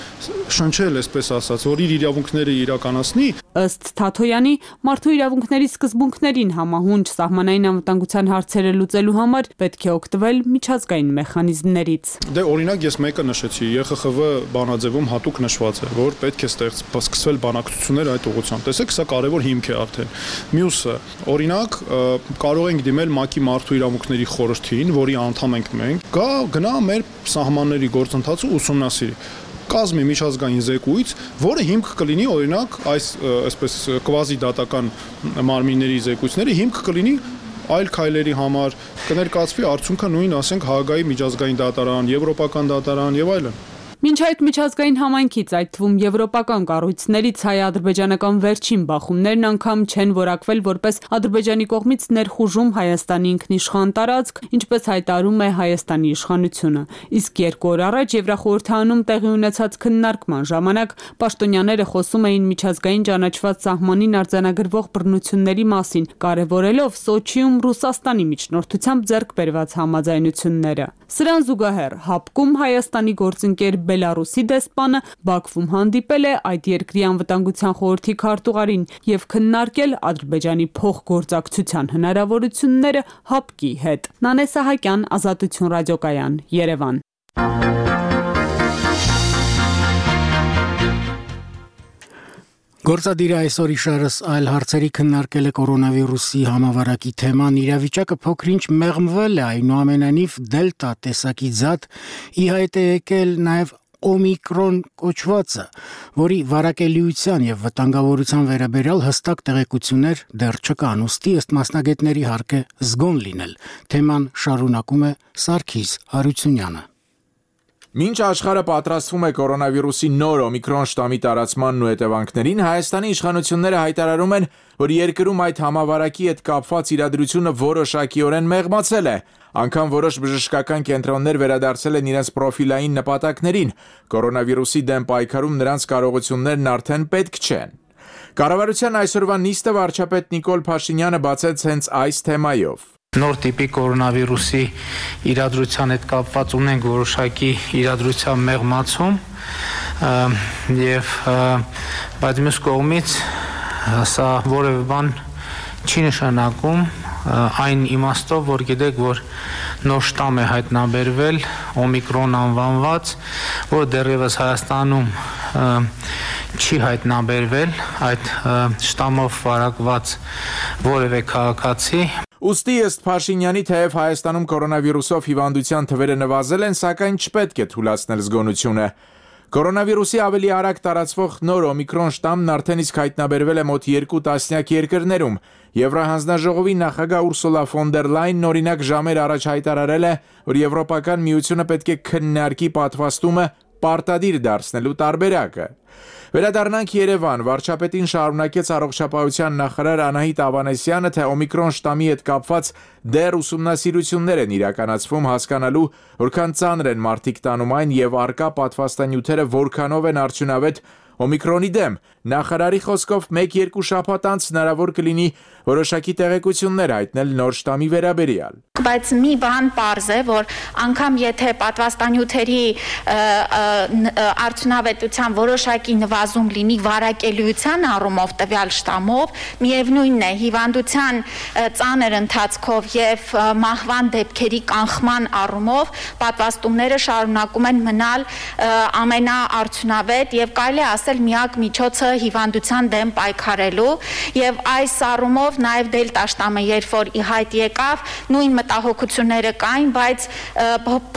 Speaker 13: շնչել, այսպես ասած, որ իր իրավունքները իրականացնի։
Speaker 14: Ըստ Թաթոյանի, մարդու իրավունքների սկզբունքներին համահունչ սահմանային անվտանգության հարցերը լուծելու համար պետք է օգտվել միջազգային մեխանիզմներից։
Speaker 13: Դե օրինակ ես մեկը նշեցի, Ե Խ Խ V բանաձևում հատուկ նշված է, որ պետք է սկսվել բանակցություններ այդ ուղղությամբ։ Տեսեք, սա կարևոր հիմք է արդեն։ Մյուսը, օրինակ, կարող ենք դիմել ՄԱԿ-ի մարդու իրավունքների խորհրդին, որի անդամ ենք մենք, գա գնա մեր սահմանների գործընթացը ուսումնասիրի։ Կազմի միջազգային զեկույց, որը հիմք կլինի օրինակ այս այսպես կվազի դատական մարմինների զեկույցները հիմք կլինի այլ քայլերի համար, կներկայացվի արդյունքը նույն, ասենք, Հաագայի միջազգային դատարան, եվրոպական դատարան եւ այլն։
Speaker 14: Մինչ այդ միջազգային համայնքից, այդ թվում եվրոպական կառույցներից հայ-ադրբեջանական վերջին բախումներն անգամ չեն որակվել որպես Ադրբեջանի կողմից ներխուժում Հայաստանի ինքնիշխան տարածք, ինչպես հայտարարում է Հայաստանի իշխանությունը։ Իսկ երկու օր առաջ Եվրախորհրդանում տեղի ունեցած քննարկման ժամանակ պաշտոնյաները խոսում էին միջազգային ճանաչված սահմանին արձանագրվող բռնությունների մասին, կարևորելով Սոչիում Ռուսաստանի միջնորդությամբ ձեռք բերված համաձայնությունները։ Սրան զուգահեռ ՀԱՊԿ-ում Հայաստանի գործընկեր Բելարուսի դեսպանը Բաքվում հանդիպել է այդ երկրի անվտանգության խորհրդի քարտուղարին եւ քննարկել Ադրբեջանի փոխգործակցության հնարավորությունները ՀԱՊԿ-ի հետ։ Նանե Սահակյան, Ազատություն ռադիոկայան, Երևան։
Speaker 1: Գործադիրը այսօր իշարս այլ հարցերի քննարկել է կորոնավիրուսի համավարակի թեման, իրավիճակը փոքրինչ մեղմվել է, այնուամենայնիվ դելտա տեսակի զատ ի հայտ է եկել նաև Օմիկրոն կոչվածը, որի վարակելիության եւ վտանգավորության վերաբերյալ հստակ տեղեկություններ դեռ չկան, ուստի ըստ մասնագետների հարկ է զգոն լինել։ Թեման շարունակում է Սարգիս Հարությունյանը։
Speaker 15: Մինչ աշխարհը պատրաստվում է կորոնավիրուսի նոր օմիկրոն շտամի տարածմանն ու հետևանքներին, Հայաստանի իշխանությունները հայտարարում են, որ երկրում այդ համավարակի հետ կապված իրադրությունը որոշակիորեն մեղմացել է։ Անկամ որոշ բժշկական կենտրոններ վերադարձել են իրենց պրոֆիլային նպատակներին։ Կորոնավիրուսի դեմ պայքարում նրանց կարողություններն արդեն պետք չեն։ Կառավարության այսօրվա նիստը վարչապետ Նիկոլ Փաշինյանը բացեց հենց այս թեմայով։
Speaker 16: Նոր տիպի կորոնավիրուսի իրադրության հետ կապված ունենք որոշակի իրադրության մեղմացում եւ բայց մյուս կողմից սա որևէ բան չի նշանակում այն իմաստով, որ գիտեք, որ նոր շտամ է հայտնաբերվել, օմիկրոն անվանված, որ դեռևս Հայաստանում չի հայտնաբերվել այդ շտամով վարակված որևէ քաղաքացի։
Speaker 15: Ուստի ըստ Փաշինյանի, թեև Հայաստանում կորոնավիրուսով հիվանդության թվերը նվազել են, սակայն չպետք է թուլացնել զգոնությունը։ Կորոնավիրուսի ավելի արագ տարածվող նոր օմիկրոն շտամն արդեն իսկ հայտնաբերվել է մոտ երկու տասնյակ երկրներում։ Եվրահանձնաժողովի նախագահ Ուրսուլա ֆոն դեր Լայնն օրինակ ժամեր առաջ հայտարարել է, որ Եվրոպական միությունը պետք է քննարկի պատվաստումը պարտադիր դարձնելու տարբերակը։ Վերադառնանք Երևան, վարչապետին շարունակեց առողջապահության նախարար Անահիտ Ավանեսյանը, թե օմիկրոն շտամի հետ կապված դեռ ուսումնասիրություններ են իրականացվում հասկանալու, որքան ծանր են մարդիկ տանում այն եւ առկա պատվաստանյութերը որքանով են արդյունավետ օմիկրոնի դեմ։ Նախարարի խոսքով մեկ-երկու շաբաթ անց հնարավոր կլինի որոշակի տեղեկություններ հայտնել նոր շտամի վերաբերյալ։
Speaker 17: Բայց մի բան պարզ է, որ անգամ եթե պատվաստանյութերի արդյունավետության որոշակի նվազում լինի վարակելիության առումով տվյալ շտամով, միևնույնն է հիվանդության ծանր ընթացքով եւ մահվան դեպքերի կանխման առումով պատվաստումները շարունակում են մնալ ամենաարդյունավետ եւ կարելի է ասել միակ միջոցը հիվանդության դեմ պայքարելու եւ այս առումով նաեւ դելտա շտամը երբ որ ի հայտ եկավ, նույն մտահոգությունները կային, բայց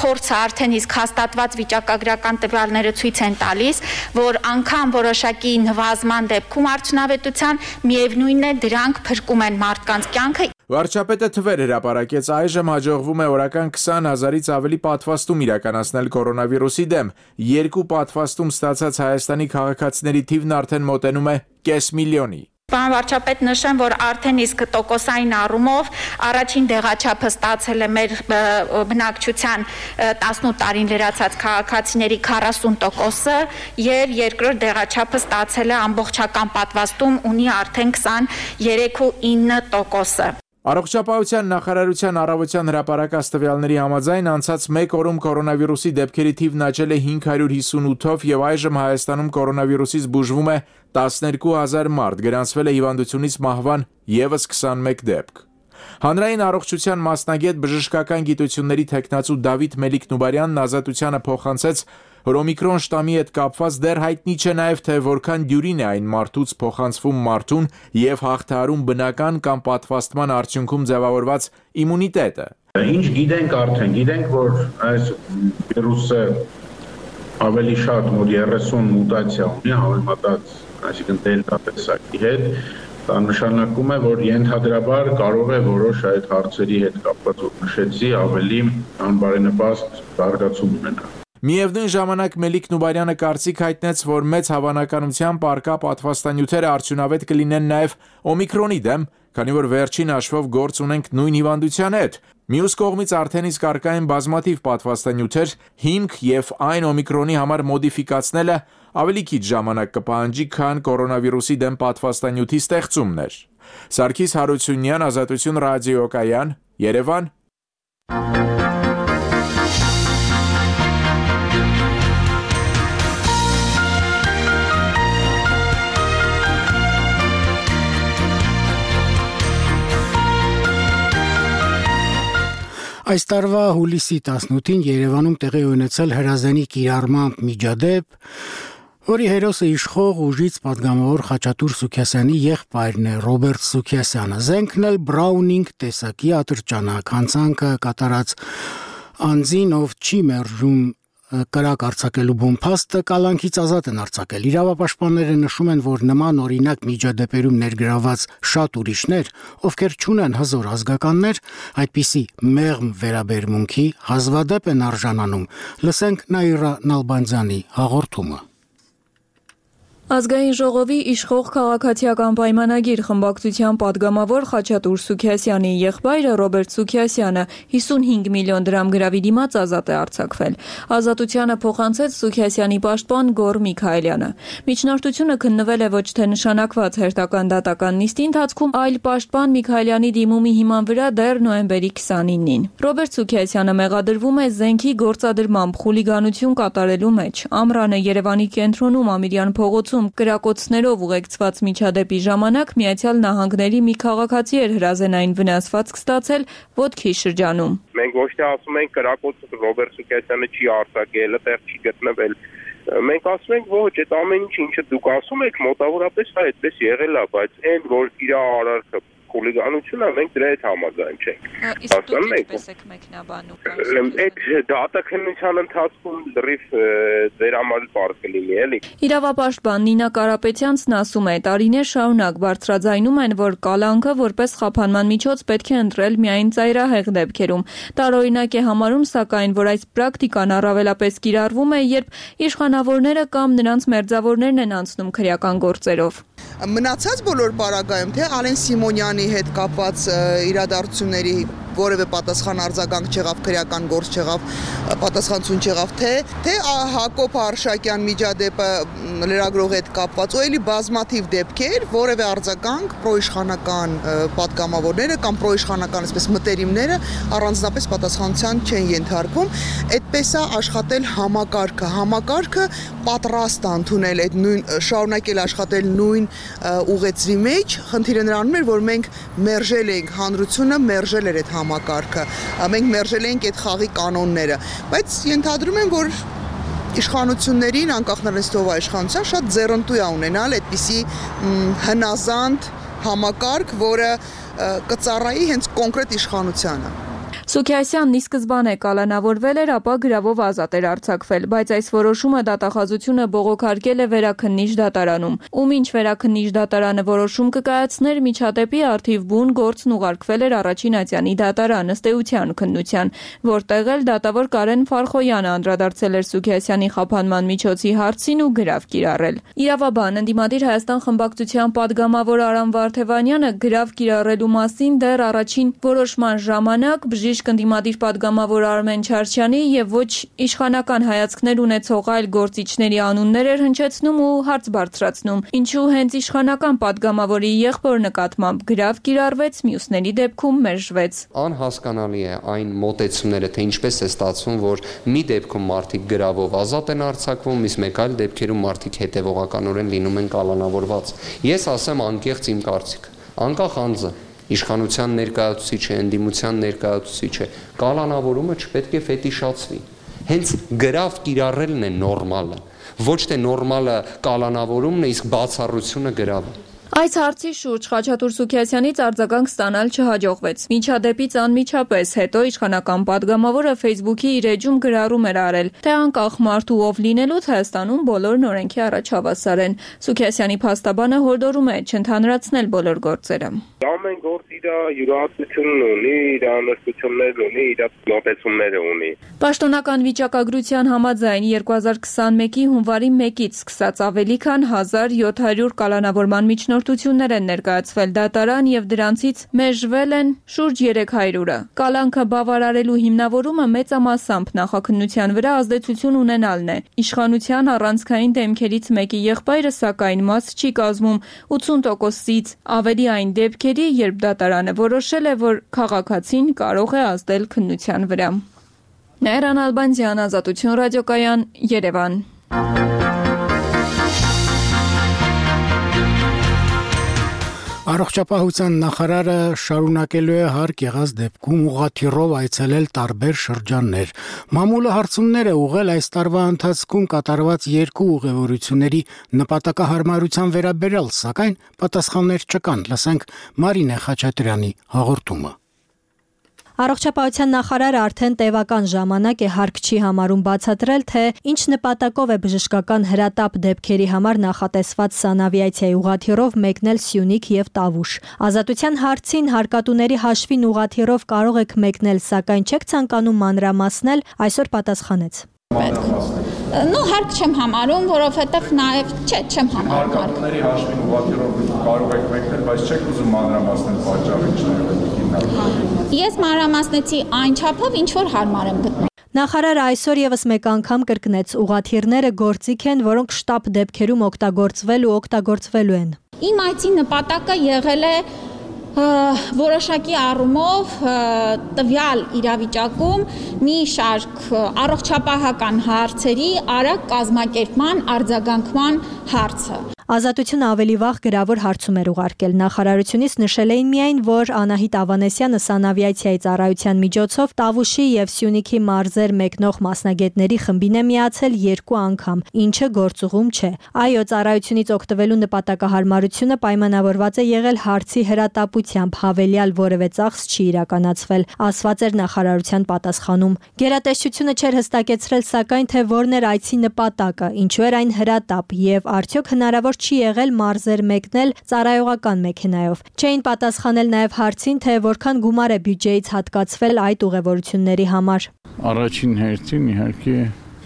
Speaker 17: փորձը արդեն իսկ հաստատված վիճակագրական տվյալները ցույց են տալիս, որ անգամ որոշակի նվազման դեպքում արդյունավետության միևնույնն է դրանք փրկում են մարդկանց կյանքը։
Speaker 15: Վարչապետը թվեր հրապարակեց, այժմ հաջողվում է օրական քսան հազարից ավելի պատվաստում իրականացնել կորոնավիրուսի դեմ։ Երկու պատվաստում ստացած Հայաստանի քաղաքացիների թիվն արդեն մոտենում է կես միլիոնի։
Speaker 17: Պարոն վարչապետ, նշեմ, որ արդեն իսկ տոկոսային առումով առաջին դեղաչափը ստացել է մեր բնակչության տասնութ տարին լրացած քաղաքացիների քառասուն տոկոսը եւ երկրորդ դեղաչափը ստացել է ամբողջական պատվաստում ունի արդեն քսաներեք ու ինը տոկոսը։
Speaker 15: Առողջապահության նախարարության առավոտյան հրապարակած տվյալների համաձայն անցած մեկ օրում կորոնավիրուսի դեպքերի թիվն աճել է հինգ հարյուր հիսունութով եւ այժմ Հայաստանում կորոնավիրուսից բուժվում է տասներկու հազար մարդ, գրանցվել է հիվանդությունից մահվան եւս քսանմեկ դեպք։ Հանրային առողջության մասնագետ բժշկական գիտությունների թեկնածու Դավիթ Մելիք-Նուբարյանն Ազատությանը փոխանցեց, որ օմիկրոն շտամի հետ կապված դեռ հայտնի չէ նաև թե որքան դյուրին է այն մարդուց փոխանցվում մարդուն եւ հաղթահարում բնական կամ պատվաստման արդյունքում ձևավորված իմունիտետը։
Speaker 18: Ինչ գիտենք արդեն, գիտենք, որ այս վիրուսը ավելի շատ մոտ երեսուն մուտացիա ունի համեմատած, այսինքն դելտա տեսակի հետ, դա նշանակում է, որ ենթադրաբար կարող է որոշ այդ հարցերի հետ կապված նշեցի ավելի անբարենպաստ զարգացում ունենալ։
Speaker 15: Միևնույն ժամանակ Մելիք Նուբարյանը կարծիք հայտնեց, որ մեծ հավանականությամբ առկա պատվաստանյութերը արդյունավետ կլինեն նաև օմիկրոնի դեմ, քանի որ վերջին հաշվով գործ ունենք նույն հիվանդության հետ։ Մյուս կողմից արդեն իսկ առկա են բազմաթիվ պատվաստանյութեր, հիմք եւ այն օմիկրոնի համար մոդիֆիկացնելը ավելի քիչ ժամանակ կպահանջի, քան կորոնավիրուսի դեմ պատվաստանյութի ստեղծումն էր։ Սարգիս Հարությունյան, Ազատություն ռադիոկայան, Երևան։
Speaker 1: Այս տարվա հուլիսի տասնութին Երևանում տեղի ունեցել հրազենի կիրառմամբ միջադեպ, որի հերոսը իշխող ուժից պատգամավոր Խաչատուր Սուքիասյանի եղբայրն է Ռոբերտ Սուքիասյանը։ Զենքն էլ Բրաունինգ տեսակի ատրճանակ, հանցանքը կատարած անձին, ով չի մերժում կրակ արձակելու բոմբաստը, կալանքից ազատ են արձակել։ Իրավապաշտպանները նշում են, որ նման օրինակ միջադեպերում ներգրաված շատ ուրիշներ, ովքեր չունեն հզոր ազգականներ, այդպիսի մեղմ վերաբերմունքի հազվադեպ են արժանանում։ Լսենք Նաիրա Նալբանդյանի հաղորդումը։
Speaker 19: Ազգային ժողովի իշխող քաղաքացիական պայմանագիր խմբակցության պատգամավոր Խաչատուր Սուքիասյանի եղբայրը Ռոբերտ Սուքիասյանը հիսունհինգ միլիոն դրամ գրավի դիմաց ազատ է արձակվել։ Ազատությանը փոխանցեց Սուքիասյանի պաշտպան Գոռ Միքայելյանը։ Միջնորդությունը քննվել է ոչ թե նշանակված հերթական դատական նիստի ընթացքում, այլ պաշտպան Միքայելյանի դիմումի հիման վրա դեռ նոյեմբերի քսանինին։ Ռոբերտ Սուքիասյանը մեղադրվում է զենքի գործադրմամբ խուլիգանություն կատարելու մեջ։ Ամռանը Երևանի կենտրոնում Ամիրյան փողոցում կրակոցներով ուղեկցված միջադեպի ժամանակ Միացյալ Նահանգների մի քաղաքացի էր հրազենային վնասվածք ստացել ոտքի շրջանում։
Speaker 20: Մենք ոչ թե ասում ենք կրակոցը Ռոբերտ Սուքիասյանը չի արձակել, այդտեղ չի գտնվել։ Մենք ասում ենք ոչ, այդ ամեն ինչ ինչը դուք ասում եք մոտավորապես դա այդպես եղել է, բայց այն որ իր արարքը խուլիգանությունը մենք դրա հետ համաձայն չենք։
Speaker 19: Իսկ դուք ինչպես եք մեկնաբանում։
Speaker 20: Այդ դատաքննության ընթացքում լրիվ ձեր համար բարձ կլինի, էլի։
Speaker 19: Իրավապաշտպան Նինա Կարապետյանցն ասում է, տարիներ շարունակ բարձրաձայնում են, որ կալանքը որպես խափանման միջոց պետք է ընտրել միայն ծայրահեղ դեպքերում։ Տարօրինակ է համարում, սակայն, որ այս պրակտիկան առավելապես կիրառվում է, երբ իշխանավորները կամ նրանց մերձավորներն են անցնում քրեական գործերով։
Speaker 21: Մնացած բոլոր պարագայում, թե Ալեն Սիմոնյանի հետ կապված իրադարձությունների որևէ պատասխան արձագանք չեղավ, քրեական գործ չեղավ, պատասխանություն չեղավ, թե թե Հակոբ Արշակյան միջադեպը լրագրողի հետ կապված, ու էլի բազմաթիվ դեպքեր, որևէ արձագանք պրոիշխանական պատգամավորները կամ պրոիշխանական այսպես մտերիմները առանձնապես պատասխանության չեն ենթարկվում։ Այդպես է աշխատել համակարգը, համակարգը պատրաստ է ընդունել այդ նույն շարունակել աշխատել նույն ուղեցրի մեջ, խնդիրը նրանում էր, որ մենք մերժել էինք հանրությունը, մերժել էր այդ համակարգը, մենք մերժել էինք այդ խաղի կանոնները, բայց ենթադրում եմ, որ իշխանություններին, անկախ նրանից ով է իշխանության, շատ ձեռնտու է ունենալ այդպիսի հնազանդ համակարգ, որը կծառայի հենց կոնկրետ իշխանությանը։
Speaker 19: Սուքիասյանն ի սկզբանե կալանավորվել էր, ապա գրավով ազատ էր արձակվել, բայց այս որոշումը դատախազությունը բողոքարկել է վերաքննիչ դատարանում, ում ինչ վերաքննիչ դատարանը որոշում կկայացներ, միջադեպի առթիվ բուն գործն ուղարկվել էր առաջին ատյանի դատարան ըստ էության քննության, որտեղ էլ դատավոր Կարեն Ֆարխոյանը անդրադարձել էր Սուքիասյանի խափանման միջոցի հարցին ու գրավ կիրառել։ Իրավաբան ընդդիմադիր Հայաստան խմբակցության պատգամավոր Արամ Վարդևանյանը գրավ կիրառելու մասին դեռ առաջին որոշման ժամանակ բժիշկ ընդդիմադիր պատգամավոր Արմեն Չարչյանի եւ ոչ իշխանական հայացքներ ունեցող այլ գործիչների անուններ էր հնչեցնում ու հարց բարձրացնում, ինչու հենց իշխանական պատգամավորի եղբոր նկատմամբ գրավ կիրառվեց, մյուսների դեպքում մերժվեց։
Speaker 22: Անհասկանալի է այն մոտեցումները, թե ինչպես է ստացվում, որ մի դեպքում մարդիկ գրավով ազատ են արձակվում, իսկ մեկ այլ դեպքերում մարդիկ հետևողականորեն լինում են կալանավորված։ Ես ասեմ անկեղծ իմ կարծիքը, անկախ անձը իշխանության ներկայացուցիչ է, ընդդիմության ներկայացուցիչ է, կալանավորումը չպետք է ֆետիշացվի։ Հենց գրավ կիրառելն է նորմալը, ոչ թե նորմալը կալանավորումն է, իսկ բացառությունը գրավը։
Speaker 19: Այս հարցի շուրջ Խաչատուր Սուքիասյանից արձագանք ստանալ չհաջողվեց։ Միջադեպից անմիջապես հետո իշխանական պատգամավորը Facebook-ի իր էջում գրառում էր արել, թե անկախ մարդու ով լինելուց Հայաստանում բոլորն օրենքի առաջ հավասար են։ Սուքիասյանի փաստաբանը հորդորում է չընդհանրացնել բոլոր գործերը։
Speaker 20: Ամեն գործ իր իր յուրահատկությունն ունի, իր անհրաժեշտություններն ունի, իր մոտեցումները ունի։
Speaker 19: Պաշտոնական վիճակագրության համաձայն երկու հազար քսանմեկի հունվարի մեկից սկսած ավելի քան հազար յոթ հարյուր կալանավորման միջնորդություններ են ներկայացվել դատարան եւ դրանցից մերժվել են շուրջ երեք հարյուրը։ Կալանքը բավարարելու հիմնավորումը մեծամասամբ նախաքննության վրա ազդեցություն ունենալն է։ Իշխանության առանցքային դեմքերից մեկի եղբայրը սակայն մաս չի կազմում ութսուն տոկոսից ավելի այն դեպքերի, երբ դատարանը որոշել է, որ քաղաքացին կարող է ազդել քննության վրա։ Նայրան Ալբանդյան, Ազատություն ռադիոկայան, Երևան։
Speaker 1: Առողջապահության նախարարը շարունակելու է հարկ եղած դեպքում ուղղաթիռով այցելել տարբեր շրջաններ։ Մամուլը հարցումներ է ուղղել այս տարվա ընթացքում կատարված երկու ուղևորությունների նպատակահարմարության վերաբերյալ, սակայն պատասխաններ չկան։ Լսենք Մարինե Խաչատրյանի հաղորդումը։
Speaker 2: Առողջապահության նախարարը արդեն տևական ժամանակ է հարկ չի համարում բացատրել, թե ինչ նպատակով է բժշկական հրատապ դեպքերի համար նախատեսված սանավիացիայի ուղղաթիռով մեկնել Սյունիք եւ Տավուշ։ Ազատության հարցին հարկատուների հաշվին ուղղաթիռով կարող եք մեկնել, սակայն չեք ցանկանում մանրամասնել, այսօր պատասխանեց.
Speaker 17: Ну, հարկ չեմ համարում, որովհետև նաև չէ, չեմ համարում։
Speaker 4: Հարկատուների հաշվին ուղղաթիռով կարող եք մեկնել, բայց չեք ուզում մանրամասնել պատճառը ինչն է։
Speaker 17: Ես մանրամասնեցի այն չափով, ինչ որ հարմար եմ գտնում։
Speaker 2: Նախարարը այսօր եւս մեկ անգամ կրկնեց, ուղղաթիռները գործիք են, որոնք շտապ դեպքերում օգտագործվել ու օգտագործվելու են։
Speaker 17: Իմ այցի նպատակը եղել է որոշակի առումով տվյալ իրավիճակում մի շարք առողջապահական հարցերի արագ կազմակերպման, արձագանքման հարցը։
Speaker 2: Ազատությունը ավելի վաղ գրավոր հարցում էր ուղարկել։ Նախարարությունից նշել էին միայն, որ Անահիտ Ավանեսյանը սանավիացիայի ծառայության միջոցով Տավուշի եւ Սյունիքի մարզեր մեկնող մասնագետների խմբին է միացել երկու անգամ, ինչը գործուղում չէ։ Այո, ծառայությունից օգտվելու նպատակահարմարությունը պայմանավորված է եղել հարցի հրատապությամբ, հավելյալ որևէ ծախս չի իրականացվել, ասված էր նախարարության պատասխանում։ Գերատեսչությունը չէր հստակեցրել սակայն, թե որն էր այցի նպատակը, ինչու էր այն հրատապ եւ արդյոք հնարավոր չի եղել մարզեր մեկնել ծառայողական մեքենայով։ Չէին պատասխանել նաև հարցին, թե որքան գումար է բյուջեից հատկացվել այդ ուղևորությունների համար։
Speaker 9: Առաջին հերթին իհարկե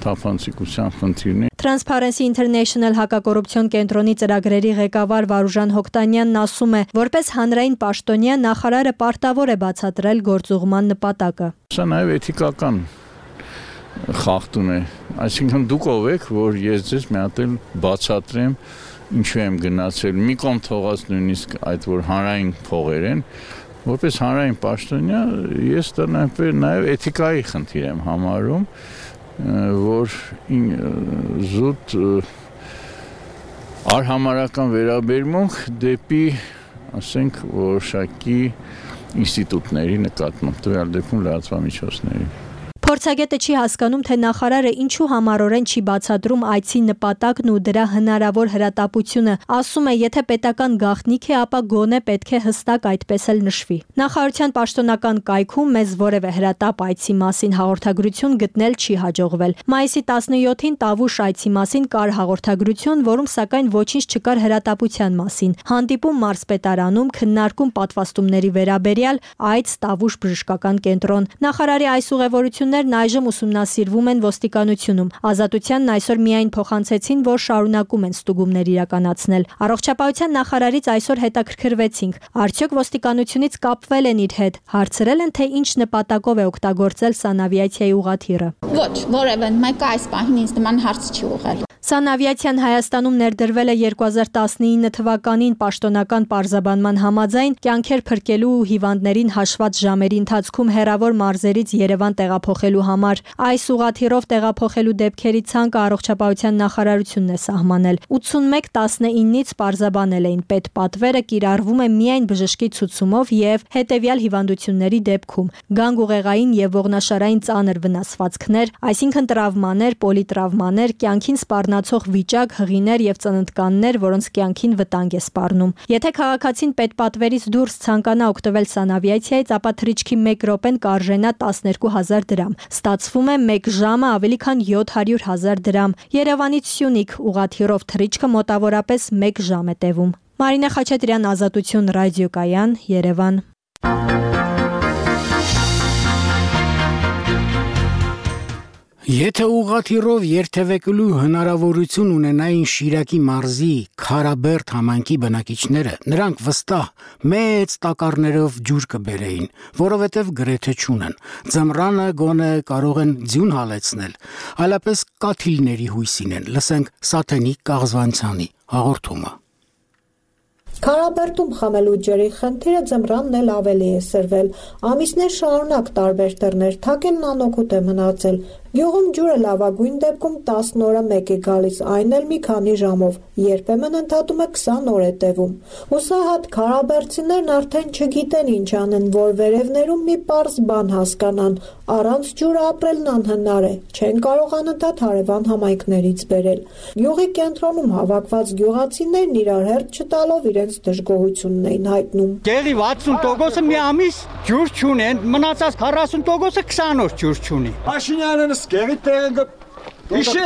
Speaker 9: թափանցիկության խնդիրն է։
Speaker 2: Transparency International հակակոռուպցիոն կենտրոնի ծրագրերի ղեկավար Վարուժան Հոկտանյանն ասում է, որպես հանրային պաշտոնյա նախարարը պարտավոր է բացատրել գործուղման նպատակը։
Speaker 9: Սա նաև էթիկական խախտում է, այսինքն դուք ով եք, որ ես ձեզ մի հատ էլ բացատրեմ ինչու եմ գնացել, մի կողմ թողած նույնիսկ այդ որ հանրային փողեր են, որպես հանրային պաշտոնյա ես դա նաև էթիկայի խնդիր եմ համարում, որ զուտ արհամարհական վերաբերմունք դեպի, ասենք, որոշակի ինստիտուտների նկատմամբ, տվյալ դեպքում լրատվամիջոցների։
Speaker 2: Փորձագետը չի հասկանում, թե նախարարը ինչու համառորեն չի բացատրում այցի նպատակն ու դրա հնարավոր հրատապությունը։ Ասում է, եթե պետական գաղտնիք է, ապա գոնե պետք է հստակ այդպես էլ նշվի։ Նախարարության պաշտոնական կայքում մեզ որևէ հրատապ այցի մասին հաղորդագրություն գտնել չի հաջողվել։ Մայիսի տասնյոթին Տավուշ այցի մասին կար հաղորդագրություն, որում սակայն ոչինչ չկար հրատապության մասին։ Հանդիպում մարզպետարանում, քննարկում պատվաստումների վերաբերյալ այց Տավուշ բժշկական կենտրոն։ Նախարարի այս ուղևորությունները այժմ ուսումնասիրվում են ոստիկանությունում։ Ազատությանն այսօր միայն փոխանցեցին, որ շարունակում են ստուգումներ իրականացնել։ Առողջապահության նախարարից այսօր հետաքրքրվեցինք, արդյոք ոստիկանությունից կապվել են իր հետ, հարցրել են, թե ինչ նպատակով է օգտագործել սանավիացիայի ուղղաթիռը։
Speaker 17: Ոչ, որևէ մեկը այս պահին ինձ նման հարց չի ուղղել։
Speaker 2: Սանավիացիան Հայաստանում ներդրվել է երկու հազար տասնինը թվականին պաշտոնական պարզաբանման համաձայն կյանքեր փրկելու ու հիվանդներին հաշված ժամերի ընթացքում հեռավոր մարզերից Երևան տեղափոխելու համար։ Այս ուղղաթիռով տեղափոխելու դեպքերի ցանկը առողջապահության նախարարությունն է սահմանել։ ութսունմեկ տասնինից պարզաբանել էին պետպատվերը կիրառվում է միայն բժշկի ցուցումով եւ հետեւյալ հիվանդությունների դեպքում՝ գանգուղեղային եւ ողնաշարային ծանր վնասվածքներ, այսինքն տրավմաներ, պոլիտրավմաներ, կյանքին սպառնացող վիճակ, հղիներ եւ ծննդկաններ, որոնց կյանքին վտանգ է սպառնում։ Եթե քաղաքացին պետպատվերից դուրս ցանկանա օգտվել սանավիացիայից, ապա թռիչքի մեկ րոպեն կարժենա տասներկու հազար դրամ։ Ստացվում է մեկ ժամը ավելի քան յոթ հարյուր հազար դրամ։ Երևանից Սյունիք ուղղաթիռով թռիչքը մոտավորապես մեկ ժամ է տևում։ Մարինե Խաչատրյան, Ազատություն ռադիոկայան, Երևան։
Speaker 1: Եթե ուղղաթիռով երթևեկելու հնարավորություն ունենային Շիրակի մարզի Քարաբերդ համայնքի բնակիչները, նրանք վստահ մեծ տակառներով ջուր կբերեին, որովհետև գրեթե չունեն։ Ձմռանը գոնե կարող են ձյուն հալեցնել, այլապես կաթիլների հույսին են։ Լսենք Սաթենիկ Կաղզվանցյանի հաղորդումը։
Speaker 5: Քարաբերդում խմելու ջրի խնդիրը ձմռանն էլ ավելի է սրվել։ Ամիսներ շարունակ տարբեր դռներ թակելն անօգուտ է մնացել։ Գյուղում ջուրը լավագույն դեպքում տասն օրը մեկ է գալիս, այն էլ մի քանի ժամով, երբեմն ընդհատում է քսան օր է տևում։ Հուսահատ քարաբերդցիներն արդեն չգիտեն ինչ անեն, որ վերևներում մի պարզ բան հասկանան, առանց ջուրը ապրելն անհնար է, չեն կարող անընդհատ հարևան համայնքներից բերել։ Գյուղի կենտրոնում հավաքված գյուղացիներն իրար հերթ չտալով իրենց դժգոհությունն էին հայտնում։
Speaker 8: Գեղի վաթսուն տոկոսը մի ամիս ջուր չունեն, մնացած քառասուն տոկոսը քսան օր ջուր չունի։
Speaker 23: Փաշինյանը Գերի տեղը Իշի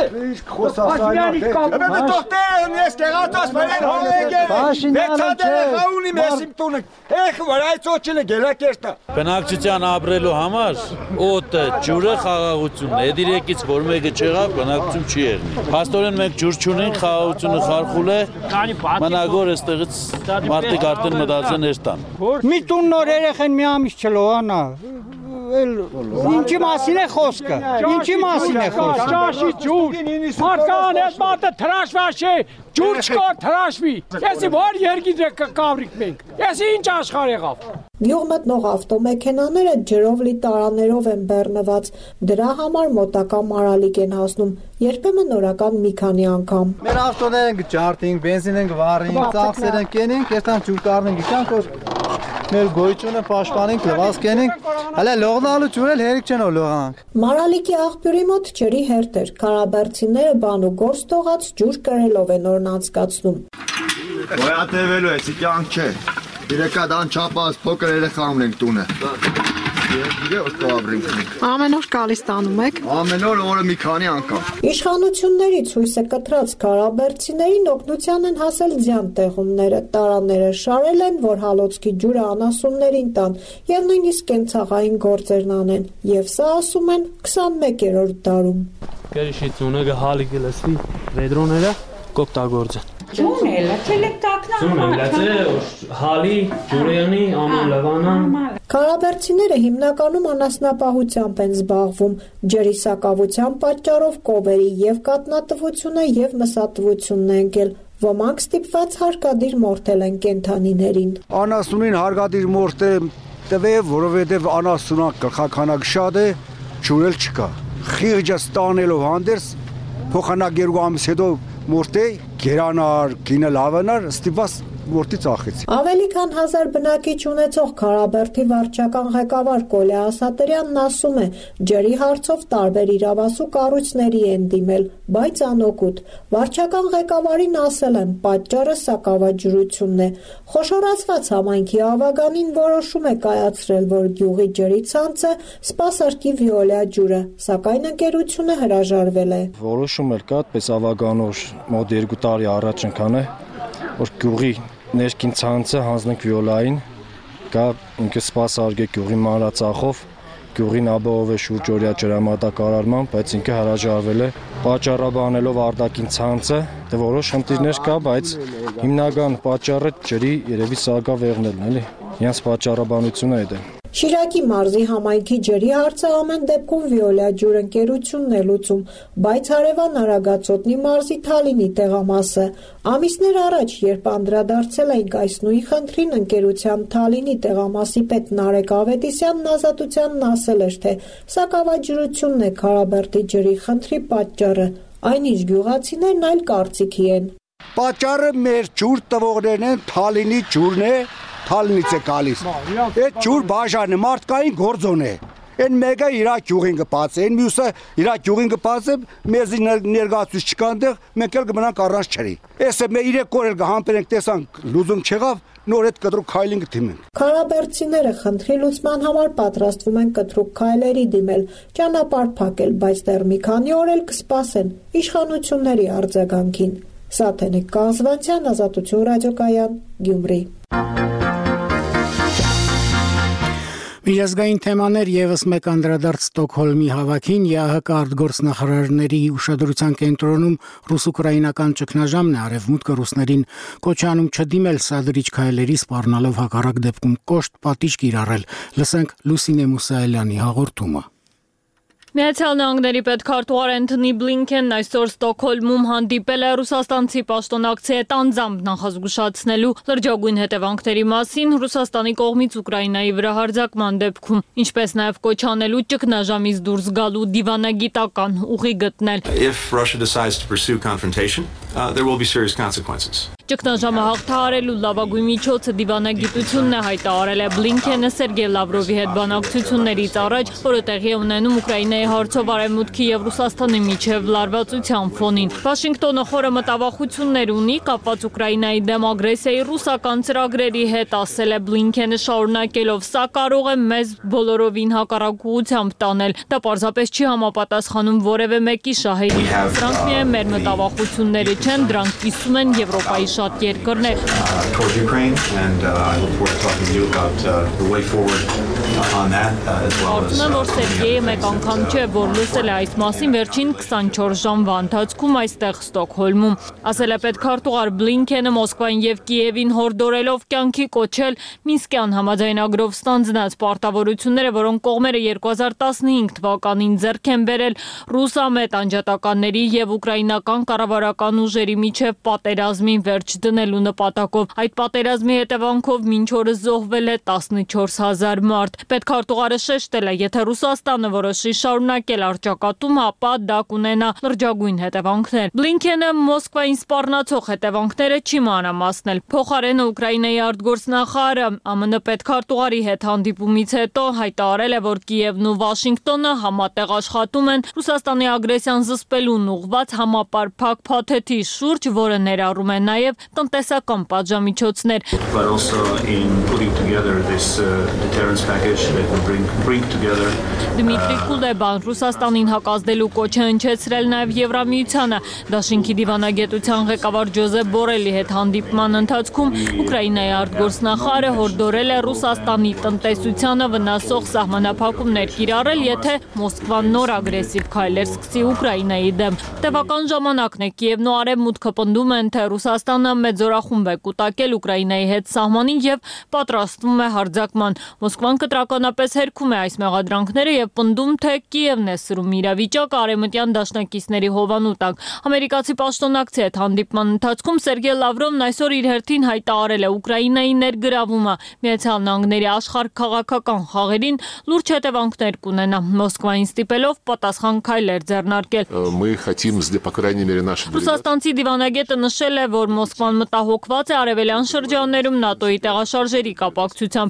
Speaker 23: Փաշինյանի կամ Բե դոկտորն ես գերատոս վարեն հողեգեր Վեցադերը խաունի մեսիմ տունը Էխ վար այդ ոչիլը գելակերտա
Speaker 24: Բնակչության ապրելու համար օտը, ջուրը խաղաղությունն է Էդ իրեկից որ մեկը չեղավ, բնակչություն չի եղնի Փաստորեն մենք ջուր չունենք, խաղաղությունը խարխուլ է Մնագոր էստեղից մարդիկ արդեն մտածեն էստան
Speaker 8: Մի տուն նոր երեխեն մի ամիս չլոհանա Ինչի մասին է խոսքը, ինչի մասին է խոսքը
Speaker 23: Ճաշի ջուր,
Speaker 8: մարդկան էս մարդը թրաշվաշ է, ջուր չկար թրաշվի Եսի որ երգիդ է կավրիկ մենք, եսի ինչ աշխար եղավ
Speaker 5: Գյուղ մտնող ավտոմեքենաները ջրով լի տարաներով են բեռնված, դրա համար մոտակա մարալիկ են հասնում, երբեմն օրական մի քանի անգամ
Speaker 25: Մեր ավտոներ ենք ջարդինք, բենզին ենք վառինք, ծախսեր ենք կենենք, եստան ջուր կարնենք, իչանք որ մեր գոյությունը պաշտպանենք, լվացք ենենք, հələ լողնալու ջուրել հերիք չեն որ լողանք
Speaker 5: Մարալիկի աղբյուրի մոտ ջրի հերթ էր, քարաբերդցիները բան ու գործ թողած ջուր կրելով են օրն անցկացնում
Speaker 23: Գոյատևելու է, սիկյանք չէ Իրեկադան չապաս փոքր երեխա ունենք տունը
Speaker 5: Ամեն օր գալիս տանում եք
Speaker 23: Ամեն օր օրը մի քանի անգամ
Speaker 5: Իշխանություններից հույսը կտրած քարաբերդցիներին օգնության են հասել ձյան տեղումները Տարաները շարել են, որ հալոցքի ջուրը անասուններին տան եւ նույնիսկ կենցաղային գործերն անեն Եվ սա ասում են քսանմեկերորդ դարում
Speaker 26: Գերիշիցունը գահալի գլսվի վեդրոները կոպտագործը
Speaker 27: Ջունելը, չելեկտակնա
Speaker 26: Ջունելը, հալի, ջուրյանի, աման լվանան
Speaker 5: Քարաբերդցիները հիմնականում անասնապահությամբ են զբաղվում, ջրի սակավության պատճառով կովերի եւ կատնատվությունը եւ մսատվությունն է ընկել, ոմանք ստիպված հարկադիր մորթել են կենդանիներին։
Speaker 23: Անասունին հարկադիր մորթը տվեւ, որովհետեւ անասունա գլխականակ շատ է, ջուրել չկա։ Խիղճը ստանելով հանդերձ փոխանակ երկու ամիս հետո մորտե գերանար, գինը լավանար, ստիպված մորտի ծախեց։
Speaker 5: Ավելի քան հազար բնակիչ ունեցող Քարաբերդի վարչական ղեկավար Կոլե Ասատրյանն ասում է, ջրի հարցով տարբեր իրավասու կառույցների են դիմել, բայց անօգուտ։ Վարչական ղեկավարին ասել են, պատճառը սակավաջրությունն է։ Խոշորացված համայնքի ավագանին որոշում է կայացրել, որ գյուղի ջրի ցանցը սպասարկի Վիոլիա ջուրը, սակայն ընկերությունը հրաժարվել է։
Speaker 25: Որոշում էլ կա, այդպես ավագանոր մոտ երկու տարի առաջ ընկան է, որ գյուղի ներքին ցանցը հանձնենք Վիոլային, կա ինքը սպասարկե գյուղի մանրածախով, գյուղին ապահով է շուրջօրյա ջրամատակարարման, բայց ինքը հրաժարվել է պատճառաբանելով արտաքին ցանցը, դե որոշ խնդիրներ կա, բայց հիմնական պատճառը ջրի երևի սակավեղներն էլի, իրենց պատճառաբանությունը է դա։
Speaker 5: Շիրակի մարզի համայնքի ջրի հարցը ամեն դեպքում Վիոլիա ջուր ընկերությունն է լուծում, բայց հարևան Արագածոտնի մարզի Թալինի տեղամասը։ Ամիսներ առաջ, երբ անդրադարձել էինք այս նույն խնդրին, ընկերության Թալինի տեղամասի պետ Նարեկ Ավետիսյանն ազատությանն ասել էր, թե սակավաջրությունն է Քարաբերդի ջրի խնդրի պատճառը, այնինչ գյուղացիներն այլ կարծիքի են։
Speaker 23: Պատճառը մեր ջուր տվողներն են, Թալինի ջուրն է Թալինից է գալիս։ Այդ ջուր բաժանը մարդկային գործոն է։ Այն մեկը իր գյուղին կպացե, այն մյուսը իր գյուղին կպացե, մեզի ներկայացուցիչ չկա այնտեղ, մենք էլ կմնանք առանց ջրի։ Էսը մեր երեք օր էլ կհամբերենք, տեսանք լուծում չեղավ, նոր այդ կտրուկ քայլին կդիմենք։
Speaker 5: Քարաբերդցիները խնդրի լուծման համար պատրաստվում են կտրուկ քայլերի դիմել, ճանապարհ փակել, բայց դեռ մի քանի օր էլ կսպասեն իշխանությունների արձագանքին։ Սաթենիկ Կազվանցյան, Ազատություն ռադիոկայան, Գյումրի։
Speaker 1: Միջազգային թեմաներ եւս մեկ անդրադարձ Ստոկհոլմի հավաքին ԵԱՀԿ արտգործնախարարների ուշադրության կենտրոնում ռուս-ուկրաինական ճգնաժամն է արևմուտքը ռուսներին կոչանում չդիմել սադրիչ քայլերի սպառնալով հակառակ դեպքում կոշտ պատիժ կիրառել։ Լսենք Լուսինե Մուսայելյանի հաղորդումը։
Speaker 3: Միացյալ Նահանգների պետքարտուղար Էնթոնի Բլինքենն այսօր Ստոկհոլմում հանդիպել է ռուսաստանցի պաշտոնակցի հետ անձամբ նախազգուշացնելու լրջագույն հետևանքների մասին Ռուսաստանի կողմից Ուկրաինայի վրա հարձակման դեպքում, ինչպես նաև կոչանելու ճգնաժամից դուրս գալու դիվանագիտական ուղի գտնել։
Speaker 6: If Russia decides to pursue confrontation, uh, there will be serious consequences.
Speaker 3: Ճգնաժամը հաղթահարելու լավագույն միջոցը դիվանագիտությունն է, հայտարարել է Բլինքենը Սերգեյ Լավրովի հետ բանակցություններից առաջ, որը տեղի է ունենում Ուկրաինայի հարցով Արևմուտքի եւ Ռուսաստանի միջև լարվածության ֆոնին։ Վաշինգտոնը խորը մտավախություններ ունի կապված Ուկրաինայի դեմ ագրեսիայի ռուսական ծրագրերի հետ, ասել է Բլինքենը շարունակելով, սա կարող է մեզ բոլորովին հակառակ ուղղությամբ տանել։ Դա պարզապես չի համապատասխանում որևէ մեկի շահերի։ Դրանք միայն մեր մտավախությունները չեն, դրանք կիսում են Եվրոպայի շատ երկրներ։ Կարծում եմ, որ Սերգեյը մեկ անգամ չէ, որ լսել է այս մասին վերջին քսանչորս ժամվա ընթացքում այստեղ Ստոկհոլմում, ասել է պետքարտուղար Բլինքենը Մոսկվային եւ Կիևին հորդորելով կյանքի կոչել Մինսկյան համաձայնագրով ստանձնած պարտավորությունները, որոնք կողմերը երկու հազար տասնհինգ թվականին ձեռք են բերել ռուսամետ անջատականների եւ ուկրաինական կառավարական ուժերի միջև պատերազմի վերջ դնելու նպատակով։ Այդ պատերազմի հետևանքով մինչ օրս զոհվել է տասնչորս հազար մարդ։ Պետքարտուղարը շեշտել է, եթե Ռուսաստանը որոշի շարունակել առճակատումը, ապա դա կունենա լրջագույն հետևանքներ։ Բլինքենը Մոսկվային սպառնացող հետևանքները չի մանրամասնել։ Փոխարենը Ուկրաինայի արտգործնախարարը ԱՄՆ պետքարտուղարի հետ հանդիպումից հետո հայտարարել է, որ Կիևն ու Վաշինգտոնը համատեղ աշխատում են Ռուսաստանի ագրեսիան զսպելուն ուղղված համապարփակ փաթեթի շուրջ, որը ներառում է նաև տնտեսական պատժամիջոցներ։ Դմիտրի Կուլեբան Ռուսաստանին հակազդելու կոչ է հնչեցրել նաև Եվրամիությանը։ Դաշինքի դիվանագետության ղեկավար Ջոզեփ Բորելի հետ հանդիպման ընթացքում Ուկրաինայի արտգործնախարարը հորդորել է Ռուսաստանի տնտեսությանը վնասող սահմանափակումներ կիրառել, եթե Մոսկվան նոր ագրեսիվ քայլեր սկսի Ուկրաինայի դեմ։ Տևական ժամանակն է Կիևն ու Արևմուտքը պնդում են, թե Ռուսաստանը մեծ զորախումբ է կուտակել Ուկրաինայի հետ սահմանին եւ պատրաստվում է հարձակման։ Մոսկվան կտրականապես հերքում է այս մեղադրանքները եւ պնդում, թե Կիևն է սրում իրավիճակը արևմտյան դաշնակիցների հովանու տակ։ Ամերիկացի պաշտոնակցի հետ հանդիպման ընթացքում Սերգեյ Լավրովն այսօր իր հերթին հայտարարել է Ուկրաինայի ներգրավումը Միացյալ Նահանգների աշխարհքաղաքական խաղերին լուրջ հետևանքներ կունենա, Մոսկվային ստիպելով պատասխան քայլեր ձեռնարկել։ Ռուսաստանցի դիվանագետը նշել է, որ Մոսկվան մտահոգված է արևելյան շրջաններում ՆԱՏՕ-ի տեղաշարժերի կապակցությամբ,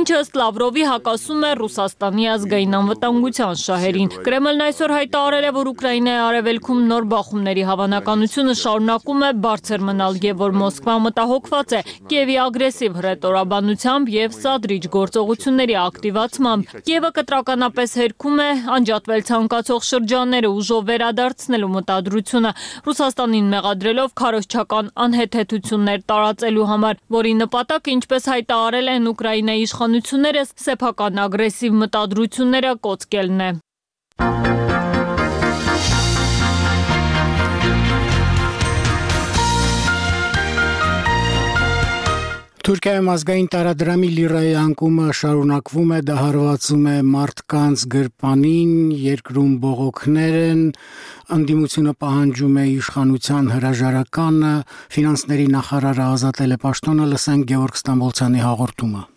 Speaker 3: ինչը ըստ Լավրովի հակասում է Ռուսաստանի ազգային անվտանգության շահերին։ Կրեմլն այսօր հայտարարել է, որ Ուկրաինայի արևելքում նոր բախումների հավանականությունը շարունակում է բարձր մնալ եւ որ Մոսկվան մտահոգված է Կիևի ագրեսիվ հռետորաբանությամբ եւ սադրիչ գործողությունների ակտիվացմամբ։ Կիևը կտրականապես հերքում է անջատվել ցանկացող շրջանները ուժով վերադարձնելու մտադրությունը, Ռուսաստանին մեղադրելով քարոզչական անհեթեթություններ տարածելու համար, որի նպատակը, ինչպես հայտարարել են Ուկրաինայի իշխանությունները, սեփական ագրեսիվ մտադրությունները կոծկելն է։
Speaker 1: Թուրքիայում ազգային տարադրամի լիրայի անկումը շարունակվում է, դա հարվածում է մարդկանց գրպանին, երկրում բողոքներ են, ընդդիմությունը պահանջում է իշխանության հրաժարականը, ֆինանսների նախարարը ազատել է պաշտոնը, լսենք Գևորգ Ստամբոլցյանի հաղորդումը։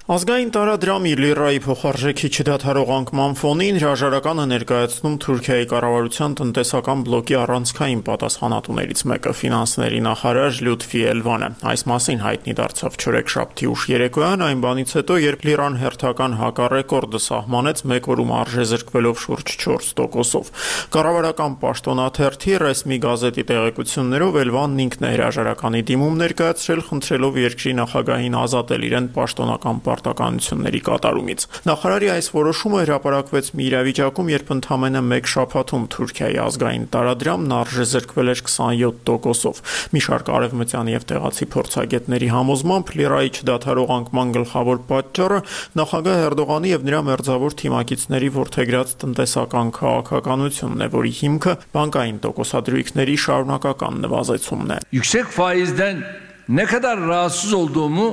Speaker 7: Ազգային տարադրամի լիրայի փոխարժեքի չդադարող անկման ֆոնին հրաժարականը ներկայացնում Թուրքիայի կառավարության տնտեսական բլոկի առանցքային պատասխանատուներից մեկը ֆինանսների նախարար Լյուտֆի Էլվանը։ Այս մասին հայտնի դարձավ չորեքշաբթի ուշ երեկոյան, այն բանից հետո, երբ լիրան հերթական հակառեկորդը սահմանեց մեկ օրում արժեզրկվելով շուրջ չորս տոկոսով։ Կառավարական պաշտոնաթերթի ռեսմի գազետի տեղեկություններով Էլվանն ինքն է հրաժարականի դիմում ներկայացրել, խնդրելով երկրի նախագահին ազատել իրեն պաշտոնական պարտականությունների կատարումից։ Նախարարի այս որոշումը հրապարակվեց մի իրավիճակում, երբ ընդամենը մեկ շաբաթում Թուրքիայի ազգային տարադրամն արժեզրկվել էր քսանյոթ տոկոսով։ Մի շարք արևմտյան եւ տեղացի փորձագետների համոզմամբ լիրայի չդադարող անկման գլխավոր պատճառը նախագահ Էրդողանի եւ նրա մերձավոր թիմակիցների որդեգրած տնտեսական քաղաքականությունն է, որի հիմքը բանկային տոկոսադրույքների շարունակական նվազեցումն է։
Speaker 10: Yüksek faizden ne kadar rahatsız olduğumu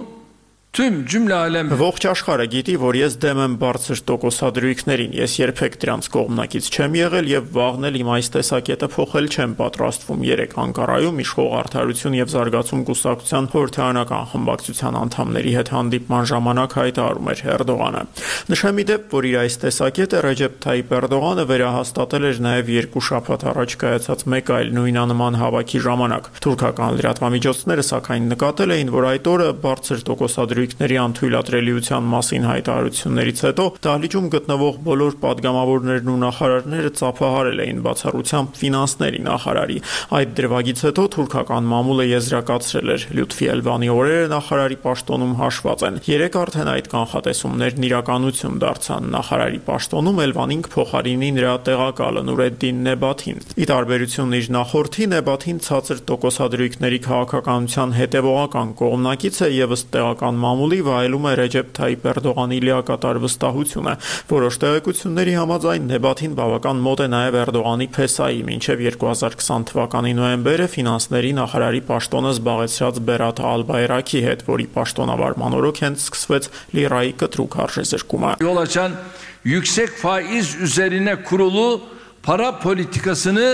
Speaker 10: tüm cümle alem
Speaker 7: Ողջ աշխարհը գիտի, որ ես դեմ եմ բարձր տոկոսադրույքներին։ Ես երբեք դրանց կողմնակից չեմ եղել եւ վաղնել իմ այս տեսակետը փոխել չեմ պատրաստվում։ Երեք Անկարայում իշխող Արդարություն եւ Զարգացում կուսակցության խորհրդարանական խմբակցության անդամների հետ հանդիպման ժամանակ հայտարարում էր Էրդողանը։ Նշեմ ի դեպ, որ իր այս տեսակետը Ռեջեփ Թայիփ Էրդողանը վերահաստատել էր նաեւ երկու շաբաթ առաջ կայացած մեկ այլ նույնանման հավաքի ժամանակ։ Թուրքական լրատվամիջոցները սակայն նկատել էին, որ այդ օրը բարձր տոկոսադրույքների ների անթույլատրելիության մասին հայտարարություններից հետո դահլիճում գտնվող բոլոր падգամավորներն ու նախարարները ծափահարել էին բացառությամբ ֆինանսների նախարարի։ Այդ դրվագից հետո թուրքական մամուլը եզրակացրել էր Լյուտֆի Էլվանի օրերը նախարարի պաշտոնում հաշված են։ Երեք արդեն այդ կանխատեսումներն իրականություն դարձան։ Նախարարի պաշտոնում Էլվանին կփոխարինի նրա տեղակալը Նուրեդդին Նեբաթին։ Ի տարբերություն իր նախորդի, Նեբաթին ցածր տոկոսադրույքների քաղաքականության հետևողական կողմնակից է եւ ըստ տեղական մամուլի վայելում է Ռեջեփ Թայիփ Էրդողանի լիակատար վստահությունը։ Որոշ տեղեկությունների համաձայն Նեբաթին բավական մոտ է նաև Էրդողանի փեսայի, մինչև երկու հազար քսան թվականի նոյեմբերը ֆինանսների նախարարի պաշտոնը զբաղեցրած Բերաթ Ալբայրակի հետ, որի պաշտոնավարման օրոք հենց սկսվեց լիրայի կտրուկ արժեզրկումը։
Speaker 10: Yol açan yüksek faiz üzerine kurulu para politikasını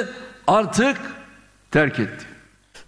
Speaker 10: artık terk etti.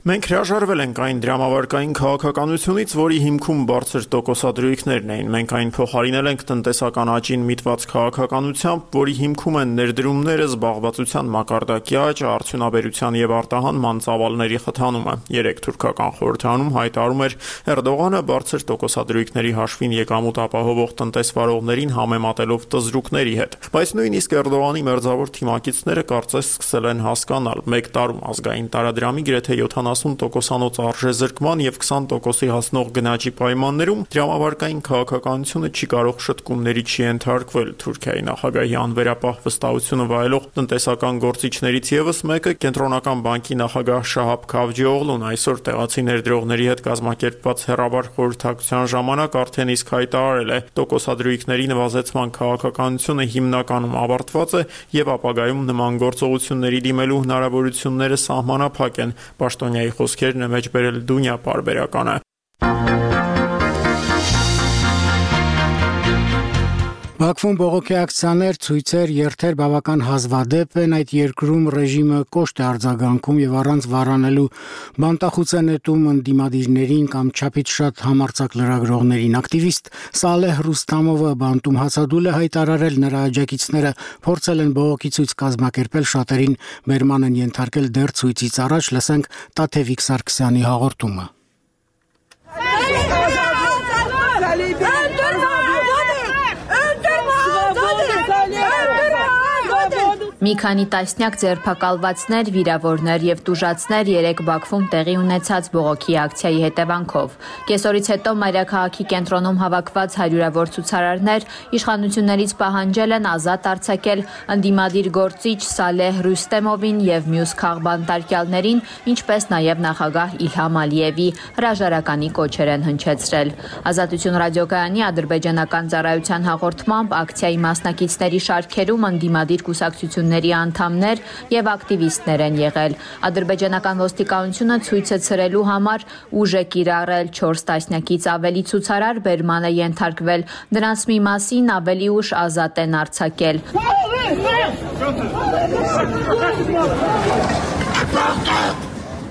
Speaker 7: Մենք հրաժարվել ենք այն դրամավարկային քաղաքականությունից, որի հիմքում բարձր տոկոսադրույքներն էին։ Մենք այն փոխարինել ենք տնտեսական աճին միտված քաղաքականությամբ, որի հիմքում են ներդրումները, զբաղվածության մակարդակի աճ, արդյունաբերության եւ արտահանման ծավալների խթանումը։ Երեք թուրքական խորհրդարանում հայտարարում էր Էրդողանը բարձր տոկոսադրույքների հաշվին եկամուտ ապահովող տնտեսվարողներին համեմատելով տզրուկների հետ։ Բայց նույնիսկ Էրդողանի մերձավոր թիմակիցները կարծես սկսել են հասկանալ, մեկ տարում ազգային տարադրամի գրեթե յոթանասուն տոկոսանոց արժեզրկման եւ քսան տոկոսի հասնող գնաճի պայմաններում դրամավարկային քաղաքականությունը չի կարող շտկումների չի ենթարկվել։ Թուրքիայի նախագահի անվերապահ վստահությունը վայելող տնտեսական գործիչներից եւս մեկը կենտրոնական բանկի նախագահ Շահաբ Քավջիօղլուն այսօր տեղացի ներդրողների հետ կազմակերպված հեռավար խորհրդակցության ժամանակ արդեն իսկ հայտարարել է, տոկոսադրույքների նվազեցման քաղաքականությունը հիմնականում ավարտված է եւ ապագայում նման գործողությունների դիմելու հնարավորությունները սահմանափակ են։ Պաշտոնյայի խոսքերն է մեջ բերել Դունյա պարբերականը։
Speaker 1: Բաքվում բողոքի ակցիաներ, ցույցեր, երթեր բավական հազվադեպ են, այդ երկրում ռեժիմը կոշտ է արձագանքում եւ առանց վարանելու բանտախուց է նետում ընդդիմադիրներին կամ չափից շատ համարձակ լրագրողներին։ Ակտիվիստ Սալեհ Ռուստամովը բանտում հացադուլ է հայտարարել, նրա աջակիցները փորձել են բողոքի ցույց կազմակերպել, շատերին բերման են ենթարկել դեռ ցույցից առաջ, լսենք Տաթևիկ Սարգսյանի հաղորդումը։
Speaker 11: Մի քանի տասնյակ ձերբակալվածներ, վիրավորներ եւ տուժածներ երեք Բաքվում տեղի ունեցած բողոքի ակցիայի հետևանքով։ Կեսօրից հետո մայրաքաղաքի կենտրոնում հավաքված հարյուրավոր ցուցարարներ իշխանություններից պահանջել են ազատ արձակել ընդդիմադիր գործիչ Սալեհ Ռուստեմովին եւ մյուս քաղբանտարկյալներին, ինչպես նաեւ նախագահ Իլհամ Ալիևի հրաժարականի կոչեր են հնչեցրել։ Ազատություն ռադիոկայանի ադրբեջանական ծառայության հաղորդմամբ ակցիայի մասնակիցների շարքերում ընդդիմադիր կուսակցություն անդամներ եւ ակտիվիստներ են եղել։ Ադրբեջանական ոստիկանությունը ցույցը ցրելու համար ուժ է կիրառել չորս տասնյակից ավելի ցուցարար բերման է ենթարկվել։ Դրանց մի մասին ավելի ուշ ազատ են արձակել։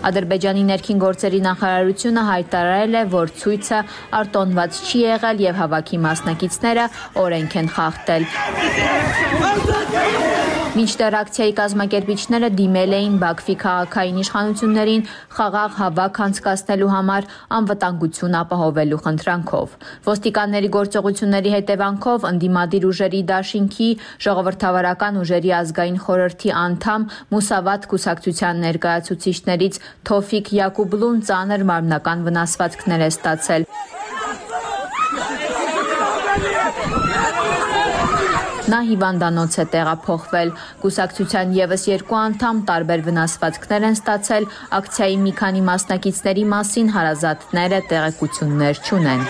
Speaker 11: Ադրբեջանի ներքին գործերի նախարարությունը հայտարարել է, որ ցույցը արտոնված չի եղել եւ հավաքի մասնակիցները օրենք են խախտել։ Մինչդեռ ակցիայի կազմակերպիչները դիմել էին Բաքվի քաղաքային իշխանություններին խաղաղ հավաք անցկացնելու համար անվտանգություն ապահովելու խնդրանքով։ Ոստիկանների գործողությունների հետևանքով ընդդիմադիր ուժերի դաշինքի ժողովրդավարական ուժերի ազգային խորհրդի անդամ Մուսավատ կուսակցության ներկայացուցիչներից Թոֆիկ Յակուբլուն ծանր մարմնական վնասվածքներ է ստացել։ Նա հիվանդանոց է տեղափոխվել։ Կուսակցության ևս երկու անդամ տարբեր վնասվածքներ են ստացել, ակցիայի մի քանի մասնակիցների մասին հարազատները տեղեկություններ չունեն։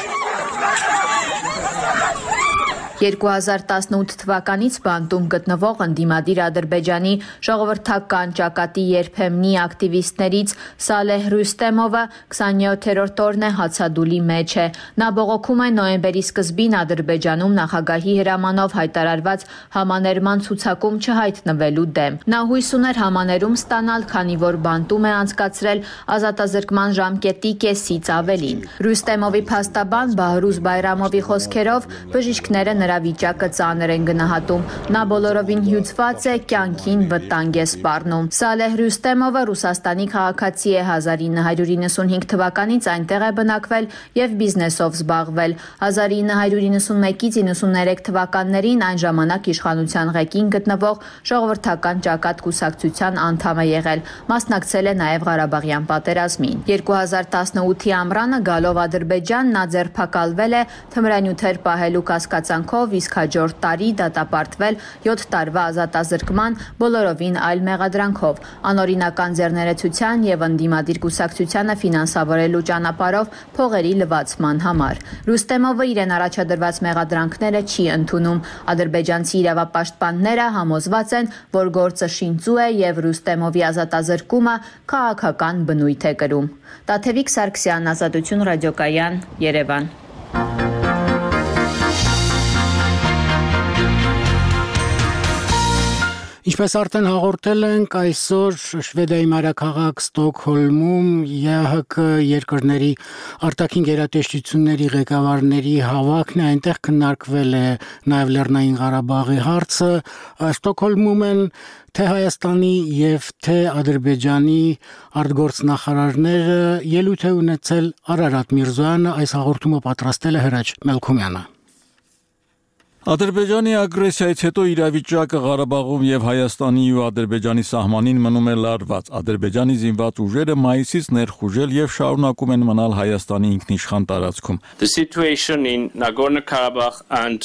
Speaker 11: երկու հազար տասնութ թվականից բանտում գտնվող ընդդիմադիր Ադրբեջանի ժողովրդական ճակատի երբեմնի ակտիվիստներից Սալեհ Ռուստեմովը քսաներորդ օրն է հացադուլի մեջ է։ Նա բողոքում է նոյեմբերի սկզբին Ադրբեջանում նախագահի հրամանով հայտարարված համաներման ցուցակում չհայտնվելու դեմ։ Նա հույս ուներ համաներում ստանալ, քանի որ բանտում է անցկացրել ազատազրկման ժամկետի կեսից ավելին։ Ռուստեմովի փաստաբան Բահրուզ Բայրամովի խոսքերով բժիշկները նրա վիճակը ծանր են գնահատում։ Նա բոլորովին հյուծված է, կյանքին վտանգ է սպառնում։ Սալեհ Ռուստեմովը Ռուսաստանի քաղաքացի է, հազար ինը հարյուր իննսունհինգ թվականից այնտեղ է բնակվել եւ բիզնեսով զբաղվել։ հազար ինը հարյուր իննսունմեկից իննսուններեք թվականներին այն ժամանակ իշխանության ղեկին գտնվող ժողովրդական ճակատ կուսակցության անդամ է եղել։ Մասնակցել է նաեւ Ղարաբաղյան պատերազմին։ երկու հազար տասնութի ամռանը գալով Ադրբեջան նա ձերբակալվել է թմրանյութեր պահելու կասկածանքով, իսկ հաջորդ տարի դատապարտվել յոթ տարվա ազատազրկման բոլորովին այլ մեղադրանքով, անօրինական ձեռներեցության եւ ընդդիմադիր կուսակցությանը ֆինանսավորելու ճանապարհով փողերի լվացման համար։ Ռուստեմովը իրեն առաջադրված մեղադրանքները չի ընդունում։ Ադրբեջանցի իրավապաշտպանները համոզված են, որ գործը շինծու է եւ Ռուստեմովի ազատազրկումը քաղաքական բնույթ է կրում։ Տաթևիկ Սարգսյան, Ազատություն ռադիոկայան, Երևան։
Speaker 1: Ինչպես արդեն հաղորդել ենք, այսօր Շվեդիայի մայրաքաղաք Ստոկհոլմում ԵԱՀԿ երկրների արտաքին գերատեսչությունների ղեկավարների հավաքն է, այնտեղ քննարկվել է նաև Լեռնային Ղարաբաղի հարցը։ Ստոկհոլմում են թե Հայաստանի եւ թե Ադրբեջանի արտգործնախարարները, ելույթ է ունեցել Արարատ Միրզոյանը, այս հաղորդումը պատրաստել է Հրաչ Մելքումյանը։
Speaker 9: Ադրբեջանի ագրեսիայից հետո իրավիճակը Ղարաբաղում եւ Հայաստանի ու Ադրբեջանի սահմանին մնում է լարված։ Ադրբեջանի զինված ուժերը մայիսից ներխուժել եւ շարունակում են մնալ Հայաստանի ինքնիշխան տարածքում։
Speaker 12: The situation in Nagorno-Karabakh and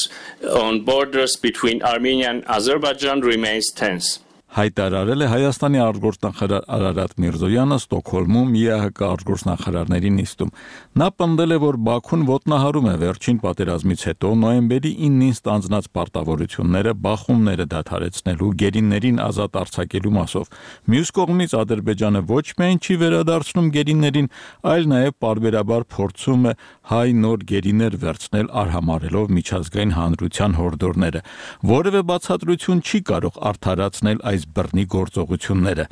Speaker 12: on borders between Armenia and Azerbaijan remains tense.
Speaker 9: Հայտարարել է Հայաստանի արտգործնախարար Արարատ Միրզոյանը Ստոկհոլմում ԵԱՀԿ արտգործնախարարների նիստում։ Նա պնդել է, որ Բաքուն ոտնահարում է վերջին պատերազմից հետո նոյեմբերի իննին ստանձնած պարտավորությունները բախումները դադարեցնելու, գերիներին ազատ արձակելու մասով։ Մյուս կողմից Ադրբեջանը ոչ միայն չի վերադարձնում գերիներին, այլ նաև պարբերաբար փորձում է հայ նոր գերիներ վերցնել արհամարելով միջազգային հանրության հորդորները։ Որևէ բացատրություն չի կարող արդարացնել այս բռնի գործողությունները,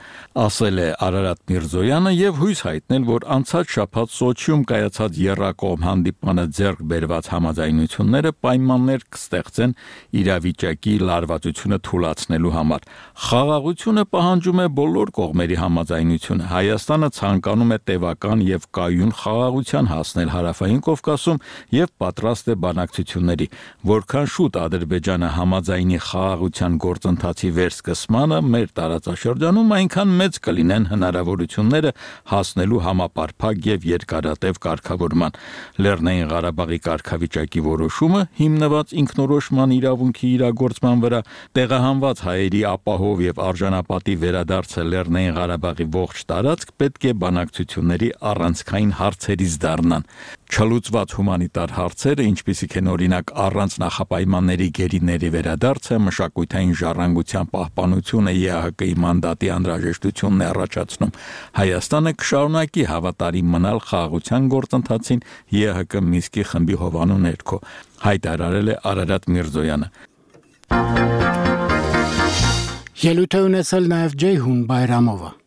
Speaker 9: ասել է Արարատ Միրզոյանը եւ հույս հայտնել, որ անցած շաբաթ Սոչիում կայացած եռակողմ հանդիպմանը ձեռք բերված համաձայնությունները պայմաններ կստեղծեն իրավիճակի լարվածությունը թույլատնելու համար։ Խաղաղությունը պահանջում է բոլոր կողմերի համաձայնությունը։ Հայաստանը ցանկանում է տևական եւ կայուն խաղաղության հասնել Հարավային Կովկասում եւ պատրաստ է բանակցությունների։ Որքան շուտ Ադրբեջանը համաձայնի խաղաղության գործընթացի վերսկսմանը մեր տարածաշրջանում, այնքան մեծ կլինեն հնարավորությունները հասնելու համապարփակ եւ երկարատև կարգավորման։ Լեռնային Ղարաբաղի կարգավիճակի որոշումը հիմնված ինքնորոշման իրավունքի իրագործման վրա, տեղահանված հայերի ապահով եւ արժանապատի վերադարձը Լեռնային Ղարաբաղի ողջ տարածք պետք է բանակցությունների առանցքային հարցերից դառնան։ Չլուծված հումանիտար հարցերը, ինչպիսիք են օրինակ առանց նախապայմանների գերիների վերադարձը, մշակութային ժառանգության պահպանությունը ԵԱՀԿ-ի մանդատի անհրաժեշտությունն է առաջացնում։ Հայաստանը կշարունակի հավատարիմ մնալ խաղաղության գործընթացին ԵԱՀԿ Մինսկի խմբի հովանու ներքո, հայտարարել է Արարատ Միրզոյանը։
Speaker 1: Ելույթ է ունեցել նաև Ջեյհուն Բայրամովը։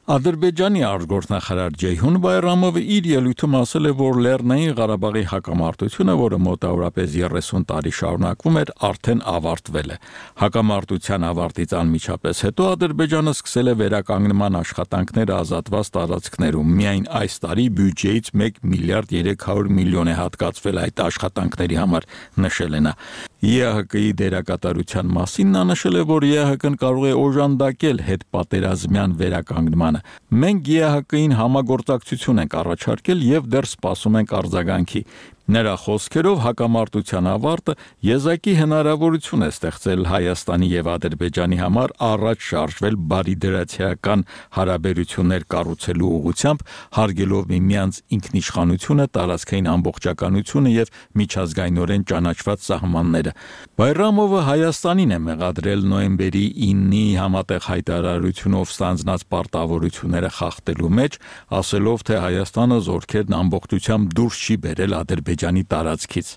Speaker 9: Ադրբեջանի արտգործնախարար Ջեյհուն Բայրամովը իր ելույթում ասել է, որ Լեռնային Ղարաբաղի հակամարտությունը, որը մոտավորապես երեսուն տարի շարունակվում էր, արդեն ավարտվել է։ Հակամարտության ավարտից անմիջապես հետո Ադրբեջանը սկսել է վերականգնման աշխատանքները ազատված տարածքներում։ Միայն այս տարի բյուջեից մեկ միլիարդ երեք հարյուր միլիոն է հատկացվել այդ աշխատանքների համար, նշել է նա։ ԵԱՀԿ-ի դերակատարության մասին նա նշել է, որ ԵԱՀԿ-ն կարող է օժանդակել հետպատերազմյան վերականգնմանը։ Մենք ԵԱՀԿ-ին համագործակցություն ենք առաջարկել եւ դեռ սպասում ենք արձագանքի։ Նրա խոսքերով հակամարտության ավարտը եզակի հնարավորություն է ստեղծել Հայաստանի եւ Ադրբեջանի համար առաջ շարժվել բարիդրացիական հարաբերություններ կառուցելու ուղղությամբ, հարգելով միմյանց ինքնիշխանությունը, տարածքային ամբողջականությունը եւ միջազգայինորեն ճանաչված սահմանները։ Բայրամովը Հայաստանին է մեղադրել նոյեմբերի ինի համատեղ հայտարարությունով ստանձնած պարտավորությունները խախտելու մեջ, ասելով, թե Հայաստանը զորքերն ամբողջությամբ դուրս չի բերել Ադրբեջանի տարածքից։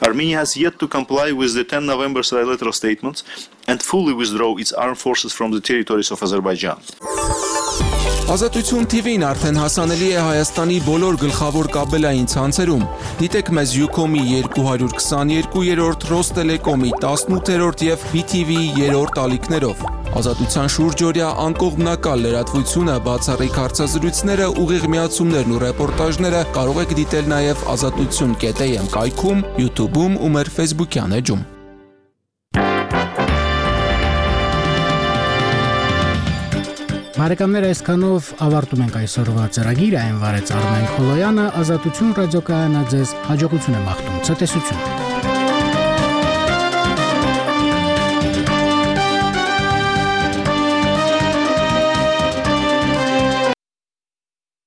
Speaker 13: Armenia has yet to comply with the ten November trilateral statements and fully withdraw its armed forces from the territories of Azerbaijan.
Speaker 14: Ազատություն թի վին արդեն հասանելի է Հայաստանի բոլոր գլխավոր կաբելային ցանցերում։ Դիտեք մեզ Ucom-ի երկու հարյուր քսաներկուերորդ, Ռոստելեկոմի տասնութերորդ եւ B T V-ի երրորդ ալիքներով։ Ազատության շուրջօրյա անկողմնակալ լրատվությունը, բացառիկ հարցազրույցները, ուղիղ միացումներն ու ռեպորտաժները կարող եք դիտել նաև ազատություն կետ am կայքում, YouTube-ում ու մեր Facebook-յան էջում։
Speaker 1: Բարեկամներ, այսքանով ավարտում ենք այսօրվա ծրագիրը, այն վարեց Արմեն Խոլոյանը, Ազատություն ռադիոկայանը ձեզ հաջողություն է մաղթում, ցտեսություն։